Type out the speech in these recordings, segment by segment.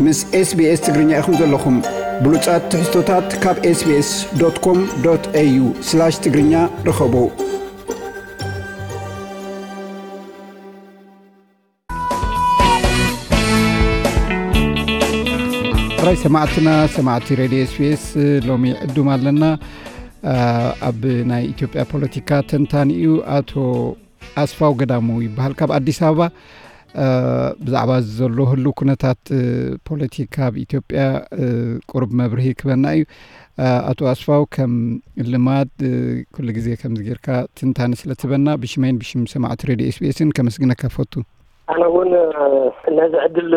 ምስ SBS ትግርኛ ኢኹም ዘለኹም። ብሉጻት ትሕዝቶታት ካብ SBS.com.au/ትግርኛ ርኸቡ። ጥራይ ሰማዕትና፣ ሰማዕቲ ሬድዮ SBS፣ ሎሚ ዕዱም ኣለና። አ፣ ኣብ ናይ ኢትዮጵያ ፖለቲካ ተንታኒ እዩ፣ ኣቶ ኣስፋው ገዳሙ ይበሃል፣ ካብ ኣዲስ ኣበባ። አ፣ ብዛዕባ ዘሎ ህሉ ኩነታት፣ እ፣ ፖለቲካ ኣብ ኢትዮጵያ፣ እ፣ ቁሩብ መብርሂ ክበና እዩ። አ፣ ኣቶ ኣስፋው፣ ከም ልማድ፣ እ፣ ኩሉ ግዜ ከምዚ ጌርካ ትንታነ ስለ ትበና፣ ብሽመይን ብሽም ሰማዕቲ ሬድዮ SBS-ን ከመስግነካ ፈቱ። ኣነ እውን፣ እ፣ ነዚ ዕድል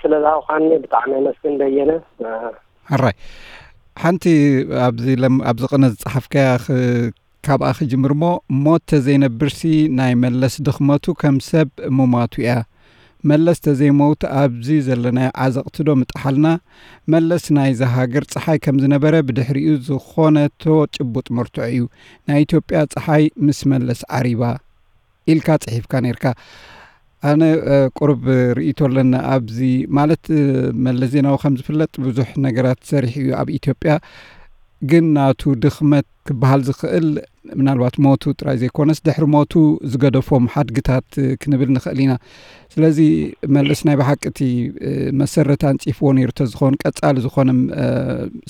ስለ ዝሃብካኒ ብጣዕሚ የመስግን በየነ። እ፣ ሕራይ። ሓንቲ ኣብዚ ለም-፣ ኣብዚ ቅነ ዝጸሓፍካያ ኽ-፣ ካብኣ ክጅምር እሞ፣ ሞት ተዘይነብርሲ ናይ መለስ ድኽመቱ ከም ሰብ ምሟቱ እያ። መለስ ተዘይመውት ኣብዚ ዘለናዮ ዓዘቕቲ ዶ ምጠሓልና? መለስ ናይዛ ሃገር ጸሓይ ከም ዝነበረ ብድሕሪኡ ዝኾነቶ ጭቡጥ መርትዖ እዩ። ናይ ኢትዮጵያ ጸሓይ ምስ መለስ ዓሪባ። ኢልካ ጽሒፍካ ነይርካ። ኣነ፣ እ፣ ቁሩብ ርእይቶ ኣለኒ ኣብዚ፣ ማለት፣ እ፣ መለስ ዜናዊ ከም ዝፍለጥ ብዙሕ ነገራት ሰሪሑ እዩ ኣብ ኢትዮጵያ። ግን ናቱ ድኽመት ክበሃል ዝኽእል ምናልባት ሞቱ ጥራይ ዘይኮነስ ድሕሪ ሞቱ ዝገደፎም ሓድግታት፣ እ፣ ክንብል ንኽእል ኢና። ስለዚ መለስ ናይ ብሓቂ እቲ፣ እ፣ መሰረት ኣንጺፍዎ ነይሩ ተዝኸውን ቀጻሊ ዝኾነ፣ እ፣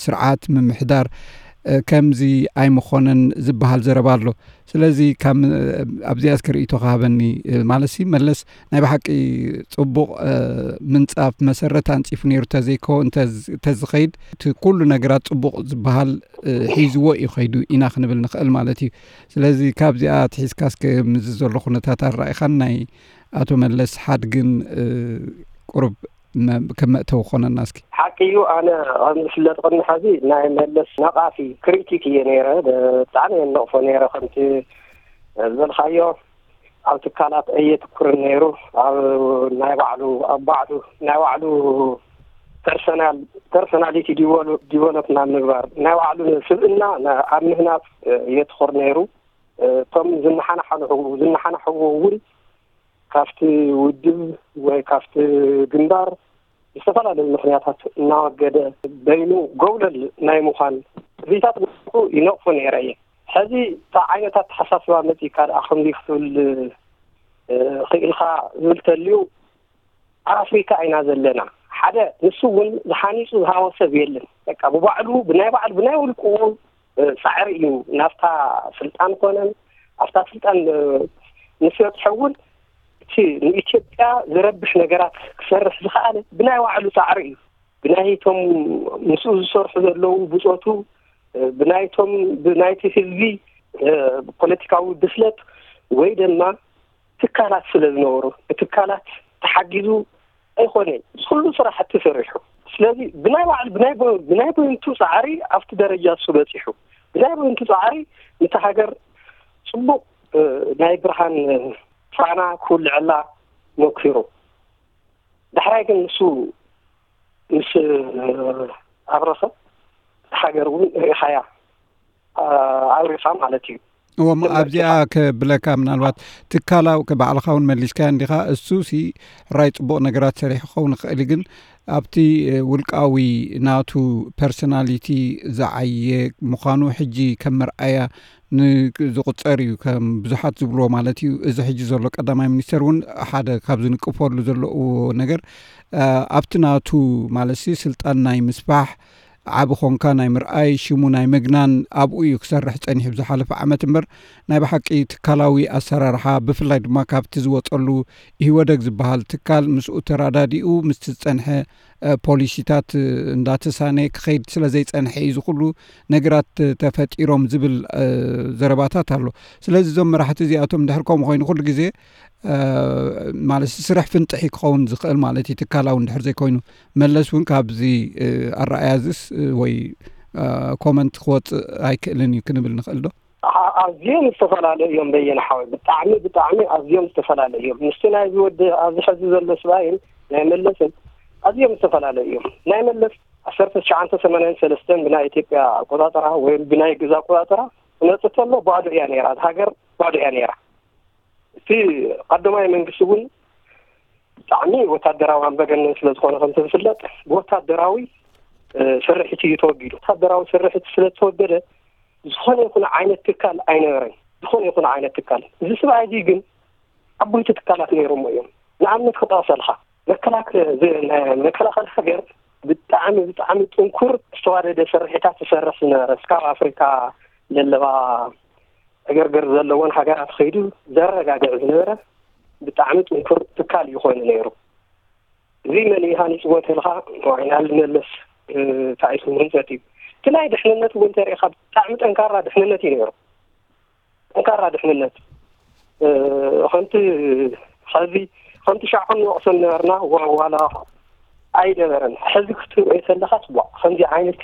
ስርዓት ምምሕዳር፣ እ፣ ከምዚ ኣይምኾነን ዝበሃል ዘረባ ኣሎ። ስለዚ ካብ፣ ኣብዚኣ እስከ ርእይቶኻ ሃበኒ። ማለትሲ መለስ ናይ ብሓቂ ጽቡቕ፣ እ፣ ምንጻፍ መሰረት ኣንጺፉ ነይሩ ተዘይኮ-፣ እንተ-፣ እንተዝኸይድ እቲ ኩሉ ነገራት ጽቡቕ ዝበሃል፣ እ፣ ሒዝዎ እዩ ኸይዱ ኢና ክንብል ንኽእል ማለት እዩ። ስለዚ ካብዚኣ ኣትሒዝካ እስከ ምስዚ ዘሎ ኩነታት ኣረኣእኻን ናይ ኣቶ መለስ ሓድግን፣ እ፣ ቁሩብ መ-፣ ከም መእተዊ ክኾነና እስኪ። ሓቂ እዩ። ኣነ ከም ዝፍለጥ ቅድሚ ሐዚ ናይ መለስ ነቓፊ ክሪቲክ እየ ነይረ። ብጣዕሚ እየ ነቕፎ ነይረ። ከምቲ ዝበልካዮ ኣብ ትካላት ኣየትኩርን ነይሩ። ኣብ ናይ ባዕሉ፣ ኣብ ባዕሉ፣ ናይ ባዕሉ ፐርሰናል፣ ፐርሰናሊቲ ዲቨሎ-፣ ዲቨሎፕ ናብ ምግባር፣ ናይ ባዕሉ ስብእና ና-፣ ኣብ ምህናጽ የትኹር ነይሩ። እቶም ዝነሓናሕኑ፣ ዝነሓናሕዎ እውን ካብቲ ውድብ ወይ ካብቲ ግንባር ብዝተፈላለዩ ምኽንያታት እናወገደ በይኑ ጎብለል ናይ ምዃን ትርኢታት ይነቕፎ ነይረ እየ። ሕዚ እንታይ ዓይነት ኣተሓሳስባ መጺእካ ደኣ ከምዚ ክትብል፣ እ፣ ክኢልካ ዝብል ተልዩ፣ ኣብ ኣፍሪካ ኢና ዘለና። ሓደ ንሱ እውን ዝሓኒጹ ዝሃወ ሰብ የለን። በቃ ብባዕሉ፣ ብናይ ባዕሉ፣ ብናይ ውልቅኡ፣ እ፣ ጻዕሪ እዩ ናብታ ስልጣን ኮነን ኣብታ ስልጣን፣ እ፣ ምስ በጽሐ እውን እቲ ንኢትዮጵያ ዝረብሕ ነገራት ክሰርሕ ዝኸኣለ ብናይ ባዕሉ ጻዕሪ እዩ። ብናይቶም ምስኡ ዝሰርሑ ዘለዉ ብጾቱ፣ እ፣ ብናይቶም፣ ብናይቲ ህዝቢ፣ እ፣ ፖለቲካዊ ብስለት ወይ ድማ ትካላት ስለ ዝነበሩ፣ ብትካላት ተሓጊዙ ኣይኮነን እዚ ኩሉ ስራሕቲ ሰሪሑ። ስለዚ ብናይ ባዕሉ፣ ብናይ በ-፣ ብናይ በይንቱ ጻዕሪ ኣብቲ ደረጃ እሱ በጺሑ። ብናይ በይንቱ ጻዕሪ ነታ ሃገር ጽቡቕ፣ እ፣ ናይ ብርሃን ፋና ክውልዐላ ሞኪሩ። ዳሕራይ ግን ንሱ ምስ ኣብረኸ፣ እታ ሃገር እውን ርኢኻያ፣ ኣ-፣ ኣብሪኻ ማለት እዩ። እወ፣ እሞ ትምህርቲ ኣብዚኣ ከ-፣ ክብለካ፣ ምናልባት ትካላዊ፣ ከ-፣ ባዕልኻ እውን መሊስካዮ እንዲኻ። እሱ ሲ ሕራይ ጽቡቕ ነገራት ሰሪሑ ክኸውን ይኽእል እዩ፣ ግን ኣብቲ፣ እ፣ ውልቃዊ ናቱ ፐርሶናሊቲ ዝዓየ ምዃኑ ሕጂ ከም መርኣያ ን-፣ ዝቑጸር እዩ፣ ከም ብዙሓት ዝብልዎ ማለት እዩ። እዚ ሕጂ ዘሎ ቀዳማይ ሚኒስተር እውን ሓደ ካብ ዝንቅፈሉ ዘለዉ ነገር፣ እ፣ ኣብቲ ናቱ ማለትሲ ስልጣን ናይ ምስፋሕ ዓቢ ኾንካ ናይ ምርኣይ፣ ሽሙ ናይ ምግናን ኣብኡ እዩ ክሰርሕ ጸኒሑ ብዝሓለፈ ዓመት እምበር፣ ናይ ብሓቂ ትካላዊ ኣሰራርሓ፣ ብፍላይ ድማ ካብቲ ዝወጸሉ ኢህወደግ ዝበሃል ትካል ምስኡ ተራዳዲኡ ምስቲ ዝጸንሐ፣ እ፣ ፖሊሲታት፣ እ፣ እንዳተሳነ ክኸይድ ስለ ዘይጸንሐ እዩ እዚ ኩሉ ነገራት፣ እ፣ ተፈጢሮም ዝብል፣ እ፣ ዘረባታት ኣሎ። ስለዚ እዞም መራሕቲ እዚኣቶም እንድሕር ከምኡ ኮይኑ ኩሉ ግዜ፣ እ፣ ማለት ስራሕ ፍንጥሒ ክኸውን ዝኽእል ማለት እዩ፣ ትካላዊ እንድሕር ዘይኮይኑ። መለስ እውን ካብዚ፣ እ፣ ኣረኣእያ እዚስ፣ እ፣ ወይ፣ እ፣ ኮመንት ክወጽእ ኣይክእልን እዩ ክንብል ንኽእል ዶ? ኣ-፣ ኣዝዮም ዝተፈላለዩ እዮም በየነ ሓወይ፣ ብጣዕሚ፣ ብጣዕሚ ኣዝዮም ዝተፈላለዩ እዮም። ምስቲ ናይዚ ወዲ ኣብዚ ሕዚ ዘሎ ስብኣይን ናይ መለስን ኣዝዮም ዝተፈላለዩ እዮም። ናይ መለስ ዓሰርተ ትሽዓተ ሰማንያን ሰለስተን ብናይ ኢትዮጵያ ኣቆጻጽራ ወይ ብናይ ግእዝ ኣቆጻጽራ ክመጽእ ከሎ ባዶ እያ ነይራ፣ እዛ ሃገር ባዶ እያ ነይራ። እቲ ቀዳማይ መንግስቲ እውን ብጣዕሚ ወታደራዊ ኣምባገነን ስለ ዝኾነ፣ ከምቲ ዝፍለጥ፣ ብወታደራዊ ስርሒት እዩ ተወጊዱ። ወታደራዊ ስርሒት ስለ ዝተወገደ ዝኾነ ይኹን ዓይነት ትካል ኣይነበረን። ዝኾነ ይኹን ዓይነት ትካል፣ እዚ ስብኣይ እዚ ግን ዓበይቲ ትካላት ነይሮሞ እዮም። ንኣብነት ክጠቕሰልካ፣ መከላከ- ዝ- ናይ መከላኸሊ ሃገር ብጣዕሚ ብጣዕሚ ጥንኩር ዝተዋደደ ስርሒታት ዝሰርሕ ዝነበረ፣ እስካብ ኣፍሪካ ዘለዋ ዕግርግር ዘለዎን ሃገራት ከይዱ ዘረጋግዕ ዝነበረ ብጣዕሚ ጥንኩር ትካል እዩ ኮይኑ ነይሩ። እዚ መን እዩ ሃኒፅዎ ተልካ፣ ዋይናል መለስ ታይቱ ህንፀት እዩ። እቲ ናይ ድሕንነት እውን ተሪእካ ብጣዕሚ ጠንካራ ድሕንነት እዩ ነይሩ። ጠንካራ ድሕንነት ከምቲ ዚ ከምቲ ሻዖን ንወቅሰን ነበርና ዋላ ኣይደበረን። ሕዚ ክትሪኦ የሰለካ ፅቡቅ ከምዚ ዓይነት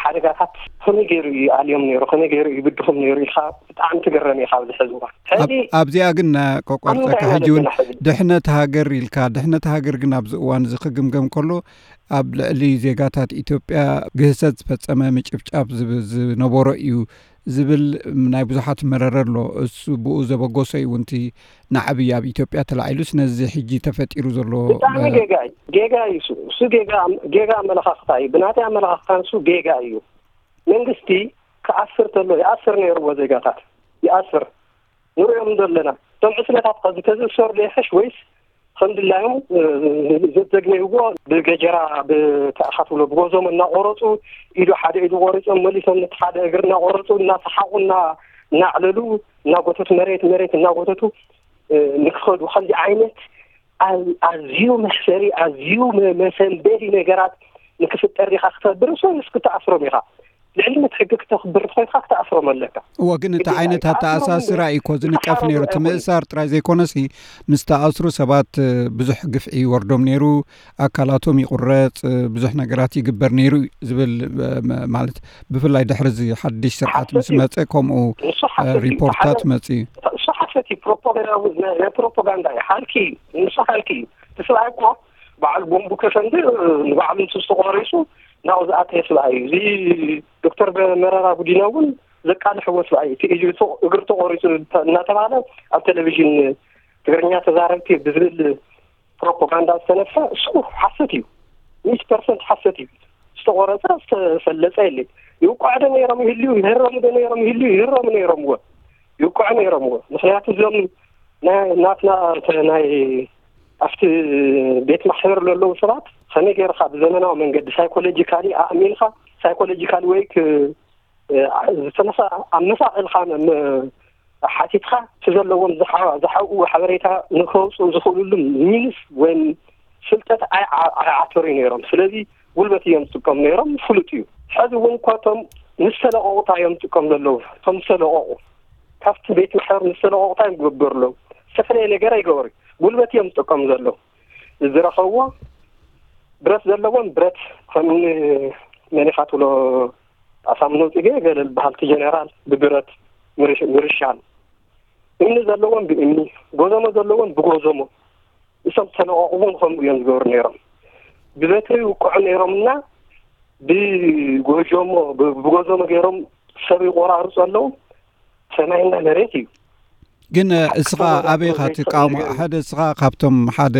ሓደጋታት ከመይ ገይሩ እዩ ኣልዮም ነይሩ፣ ከመይ ገይሩ እዩ ብድኹም ነይሩ ኢልካ ብጣዕሚ ትግረም ኢኻ ኣብዚ ሕዚ እዋን። ሕዚ ኣብዚኣ ግን ቆቆርፀካ ሕጂ እውን ድሕነት ሃገር ኢልካ፣ ድሕነት ሃገር ግን ኣብዚ እዋን እዚ ክግምገም ከሎ ኣብ ልዕሊ ዜጋታት ኢትዮጵያ ግህሰት ዝፈፀመ ምጭፍጫፍ ዝነቦሮ እዩ ዝብል ናይ ብዙሓት መረረ ኣሎ። እሱ ብኡ ዘበጎሶ እዩ ውንቲ ንዓብይ ኣብ ኢትዮጵያ ተላዒሉስ ነዚ ሕጂ ተፈጢሩ ዘሎ ብጣዕሚ ጌጋ እዩ። ጌጋ እዩ እሱ። እሱ ጌጋ ጌጋ ኣመለኻኽታ እዩ። ብናተይ ኣመለኻኽታ ንሱ ጌጋ እዩ። መንግስቲ ክኣስር ተሎ ይኣስር ነይርዎ ዜጋታት ይኣስር ንሪኦም ዘለና እቶም ዕስለታት ከዚ ከዝእሰሩ ደይሐሽ ወይስ ከም ድላዮም ዘዘግነይዎ ብገጀራ ብተኣኻትብሎ ብጎዞም እናቆረፁ ኢዱ ሓደ ኢዱ ቆሪፆም መሊሶም ነቲ ሓደ እግር እናቆረፁ እናሰሓቁ እናዕለሉ እናጎተቱ መሬት መሬት እናጎተቱ ንክኸዱ ከምዚ ዓይነት ኣዝዩ መሕፈሪ ኣዝዩ መሰንበዲ ነገራት ንክፍጠር ዲካ ክተብር ሶ ንስ ክትኣስሮም ኢካ ልዕልነት ሕጊ ክተኽብር ኮይንካ ክትኣስሮም ኣለካ። እወ ግን እቲ ዓይነት ኣተኣሳስራ እዩ እኮ ዝንቀፍ ነይሩ። እቲ ምእሳር ጥራይ ዘይኮነሲ ምስ ተኣስሩ ሰባት ብዙሕ ግፍዒ ይወርዶም ነይሩ፣ ኣካላቶም ይቁረፅ፣ ብዙሕ ነገራት ይግበር ነይሩ ዝብል ማለት ብፍላይ ድሕሪ እዚ ሓድሽ ስርዓት ምስ መፀ ከምኡ ሪፖርታት መፂ እዩ። እሱ ሓሰት እዩ። ፕሮፓጋንዳ ናይ ፕሮፓጋንዳ እዩ። ሓልኪ እዩ። ንሱ ሓልኪ እዩ። እቲ ሰብኣይ እኮ በዓል ቦምቡ ከፈንድእ ንባዕሉ ንሱ ዝተቆሪሱ ናብኡ ዝኣተየ ሰብኣይ እዩ። እዚ ዶክተር መረራ ጉዲና እውን ዘቃልሕዎ ሰብኣይ እዩ። እቲ እግሪ ተቆሪፁ እናተባሃለ ኣብ ቴሌቪዥን ትግርኛ ተዛረብቲ ብዝብል ፕሮፓጋንዳ ዝተነፍሐ እሱ ሓሰት እዩ። ሚእቲ ፐርሰንት ሓሰት እዩ። ዝተቆረፀ ዝተፈለፀ የለን። ይውቃዕ ዶ ነይሮም ይህልዩ፣ ይህረሙ ዶ ነይሮም ይህልዩ፣ ይህረሙ ነይሮምዎ፣ ይውቃዑ ነይሮምዎ። ምክንያቱ እዞም ናይ ናትና ናይ ኣብቲ ቤት ማሕበር ዘለዉ ሰባት ከመይ ገይርካ ብዘመናዊ መንገዲ ሳይኮሎጂካሊ ኣእሚንካ ሳይኮሎጂካሊ ወይ ዝተመሳ ኣመሳቀልካ ሓቲትካ እቲ ዘለዎም ዝሓብኡ ሓበሬታ ንከውፅኡ ዝኽእልሉ ሚንስ ወይም ፍልጠት ኣይዓተሩ ነይሮም። ስለዚ ጉልበት እዮም ዝጥቀሙ ነይሮም፣ ፍሉጥ እዩ። ሕዚ እውን እኳ እቶም ምስ ተለቀቑ እንታይ እዮም ዝጥቀሙ ዘለዉ? እቶም ዝተለቀቑ ካብቲ ቤት ማሕበር ምስ ተለቀቑ እንታይ ይገብሩ ኣለዉ? ዝተፈላለየ ነገር ኣይገበሩ። ጉልበት እዮም ዝጥቀሙ ዘለዉ። ዝረኸብዎ ብረት ዘለዎም ብረት ከም መኒኻ ትብሎ ኣሳምነው ፅጌ ገለ ዝበሃል እቲ ጀነራል ብብረት ምርሻን እምኒ ዘለዎም ብእምኒ ጎዘሞ ዘለዎም ብጎዘሞ እሶም ተለቐቑ እውን ከምኡ እዮም ዝገብሩ ነይሮም። ብበትሪ ይውቅዑ ነይሮምና ብጎጀሞ ብጎዘሞ ገይሮም ሰብ ይቆራርፁ ኣለዉ። ሰማይና መሬት እዩ። ግን እስኻ ኣበይ ኢኻ ትቃወሞ? ሓደ እስኻ ካብቶም ሓደ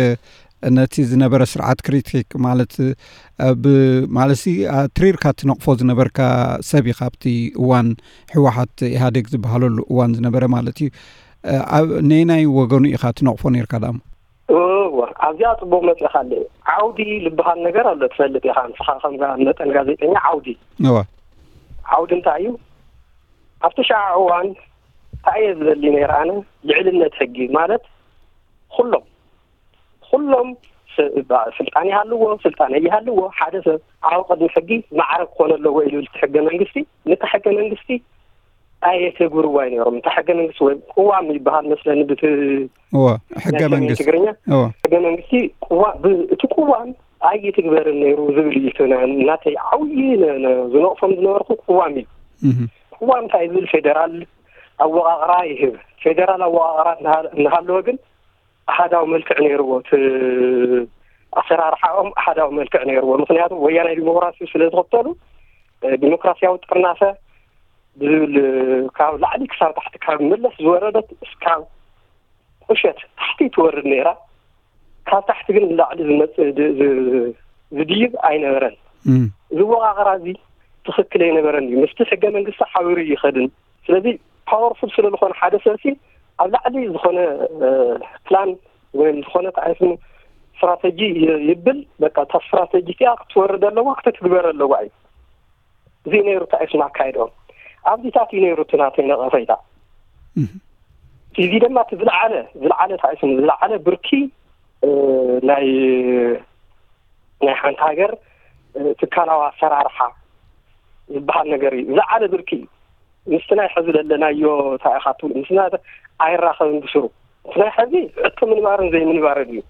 ነቲ ዝነበረ ስርዓት ክሪቲክ ማለት ማለት ትሪርካ ትነቕፎ ዝነበርካ ሰብ ኢኻ ኣብቲ እዋን ህወሓት ኢህኣዴግ ዝበሃለሉ እዋን ዝነበረ ማለት እዩ። ነየናይ ወገኑ ኢኻ ትነቕፎ ነርካ ዳሞ? እወ ኣብዚኣ ፅቡቅ መፅእካ ኣለ። ዓውዲ ዝበሃል ነገር ኣሎ ትፈልጥ ኢኻ ንስኻ ከም መጠን ጋዜጠኛ። ዓውዲ እወ ዓውዲ እንታይ እዩ? ኣብቲ ሸዓ እዋን እንታይ እየ ዝደሊ ነይረ ኣነ? ልዕልነት ሕጊ ማለት ኩሎም ኩሎም ስልጣን ይሃልዎ ስልጣን ይሃልዎ ሓደ ሰብ ኣብ ቅድሚ ሕጊ ማዕረ ክኾነ ኣለዎ ኢሉ እቲ ሕገ መንግስቲ። ነቲ ሕገ መንግስቲ ኣየተግብርዋ ነይሮም። እቲ ሕገ መንግስቲ ወይ ቅዋም ይበሃል መስለኒ ብቲ እወ ሕገ መንግስቲ ትግርኛ እወ ሕገ መንግስቲ ቅዋም እቲ ቅዋም ኣይትግበርን ነይሩ ዝብል እዩ። ናተይ ዓብዪ ዝነቕፎም ዝነበርኩ ቅዋም እዩ። ቅዋም እንታይ ዝብል ፌደራል ኣወቃቅራ ይህብ። ፌደራል ኣወቃቅራ እናሃለወ ግን ኣሃዳዊ መልክዕ ነይርዎ። እቲ ኣሰራርሓኦም ኣሃዳዊ መልክዕ ነይርዎ። ምክንያቱ ወያናይ ዲሞክራሲ ስለ ዝኽተሉ ዲሞክራሲያዊ ጥርናፈ ብዝብል ካብ ላዕሊ ክሳብ ታሕቲ ካብ መለስ ዝወረደት እስካብ ቁሸት ታሕቲ ትወርድ ነይራ። ካብ ታሕቲ ግን ንላዕሊ ዝመጽእ ድ- ዝ- ዝድይብ ኣይነበረን። ዝወቃቀራ እዚ ትኽክል ኣይነበረን እዩ። ምስቲ ሕገ መንግስቲ ሓቢሩ ይኸድን። ስለዚ ፓወርፉል ስለ ዝኾነ ሓደ ሰብሲ ኣብ ላዕሊ ዝኾነ ፕላን ወይም ዝኾነ ተኣይስሙ ስትራተጂ ይብል። በቃ እታ ስትራተጂ እቲኣ ክትወርድ ኣለዋ፣ ክትትግበር ኣለዋ እዩ። እዚ ነይሩ ተኣይስሙ ኣካይድኦም። ኣብዚታት እዩ ነይሩ እቲ ናተይ ነቐፈይታ። እዚ ድማ እቲ ዝለዓለ ዝለዓለ ተኣይስሙ ዝለዓለ ብርኪ ናይ ናይ ሓንቲ ሃገር ትካላዊ ኣሰራርሓ ዝበሃል ነገር እዩ። ዝለዓለ ብርኪ እዩ። ምስቲ ናይ ሕዚ ዘለናዮ እንታይ ኢኻ ትብሉ ምስና ኣይራኸብን ብስሩ። እቲ ናይ ሕዚ ሕቶ ምንባርን ዘይምንባርን እዩ።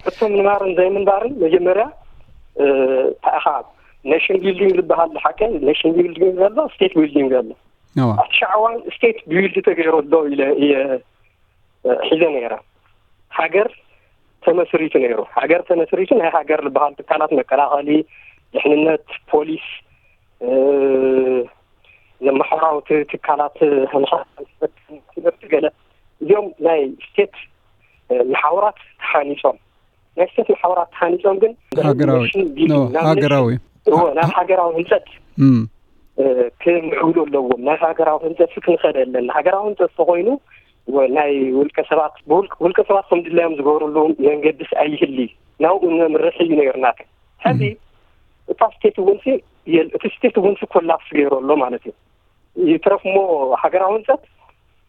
ሕቶ ምንባርን ዘይምንባርን መጀመርያ እንታይ ኢኻ፣ ኔሽን ቢልዲንግ ዝበሃል ሓቂ፣ ኔሽን ቢልዲንግ ዘሎ፣ ስቴት ቢልዲንግ ዘሎ። ኣብቲ ሻዕዋን ስቴት ቢልድ ተገይሩ ኣሎ ኢለ እየ ሒዘ ነይረ። ሃገር ተመስሪቱ ነይሩ። ሃገር ተመስሪቱ ናይ ሃገር ዝበሃል ትካላት መከላኸሊ፣ ድሕንነት፣ ፖሊስ፣ ማሕበራዊ ትካላት፣ ትምህርቲ፣ ገለ እዚኦም ናይ ስቴት መሓውራት ተሃኒፆም፣ ናይ ስቴት መሓውራት ተሃኒፆም ግን ሃገራዊ ሃገራዊ ናብ ሃገራዊ ህንፀት ክምዕብሉ ኣለዎም። ናብ ሃገራዊ ህንፀት ክንኸደ ኣለና። ሃገራዊ ህንፀት ተኮይኑ ናይ ውልቀ ሰባት ውልቀ ሰባት ከም ድላዮም ዝገብርሉ መንገድስ ኣይህሊ፣ ናብኡ ነምርሕ እዩ ነይርና። ሕዚ እታ ስቴት እውን እቲ ስቴት እውን ኮላፕስ ገይሩ ኣሎ ማለት እዩ። ይትረፍ እሞ ሃገራዊ ህንፀት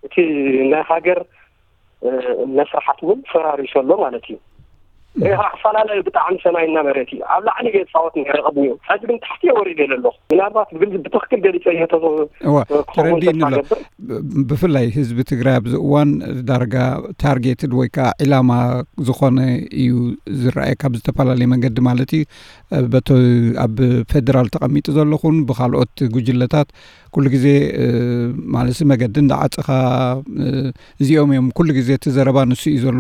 እቲ ናይ ሃገር መስራሓት እውን ፈራሪሱ ኣሎ ማለት እዩ። ኣፈላለዩ ብጣዕሚ ሰማይና መሬት እዩ። ኣብ ላዕሊ እየ ዝፃወት ነረ ቅድሚኡ፣ ሕዚ ግን ታሕቲ እየ ወሪደ ዘለኹ። ምናልባት ብትክክል ገሊፀ እየ ተረዲእኒ ኣሎ። ብፍላይ ህዝቢ ትግራይ ኣብዚ እዋን ዳርጋ ታርጌትድ ወይ ከዓ ዒላማ ዝኾነ እዩ ዝረኣየ ካብ ዝተፈላለየ መንገዲ ማለት እዩ። በቶ ኣብ ፌደራል ተቐሚጡ ዘለኹን ብካልኦት ጉጅለታት ኩሉ ግዜ ማለት መገዲ እንዳዓፀኻ እዚኦም እዮም ኩሉ ግዜ እቲ ዘረባ ንሱ እዩ ዘሎ።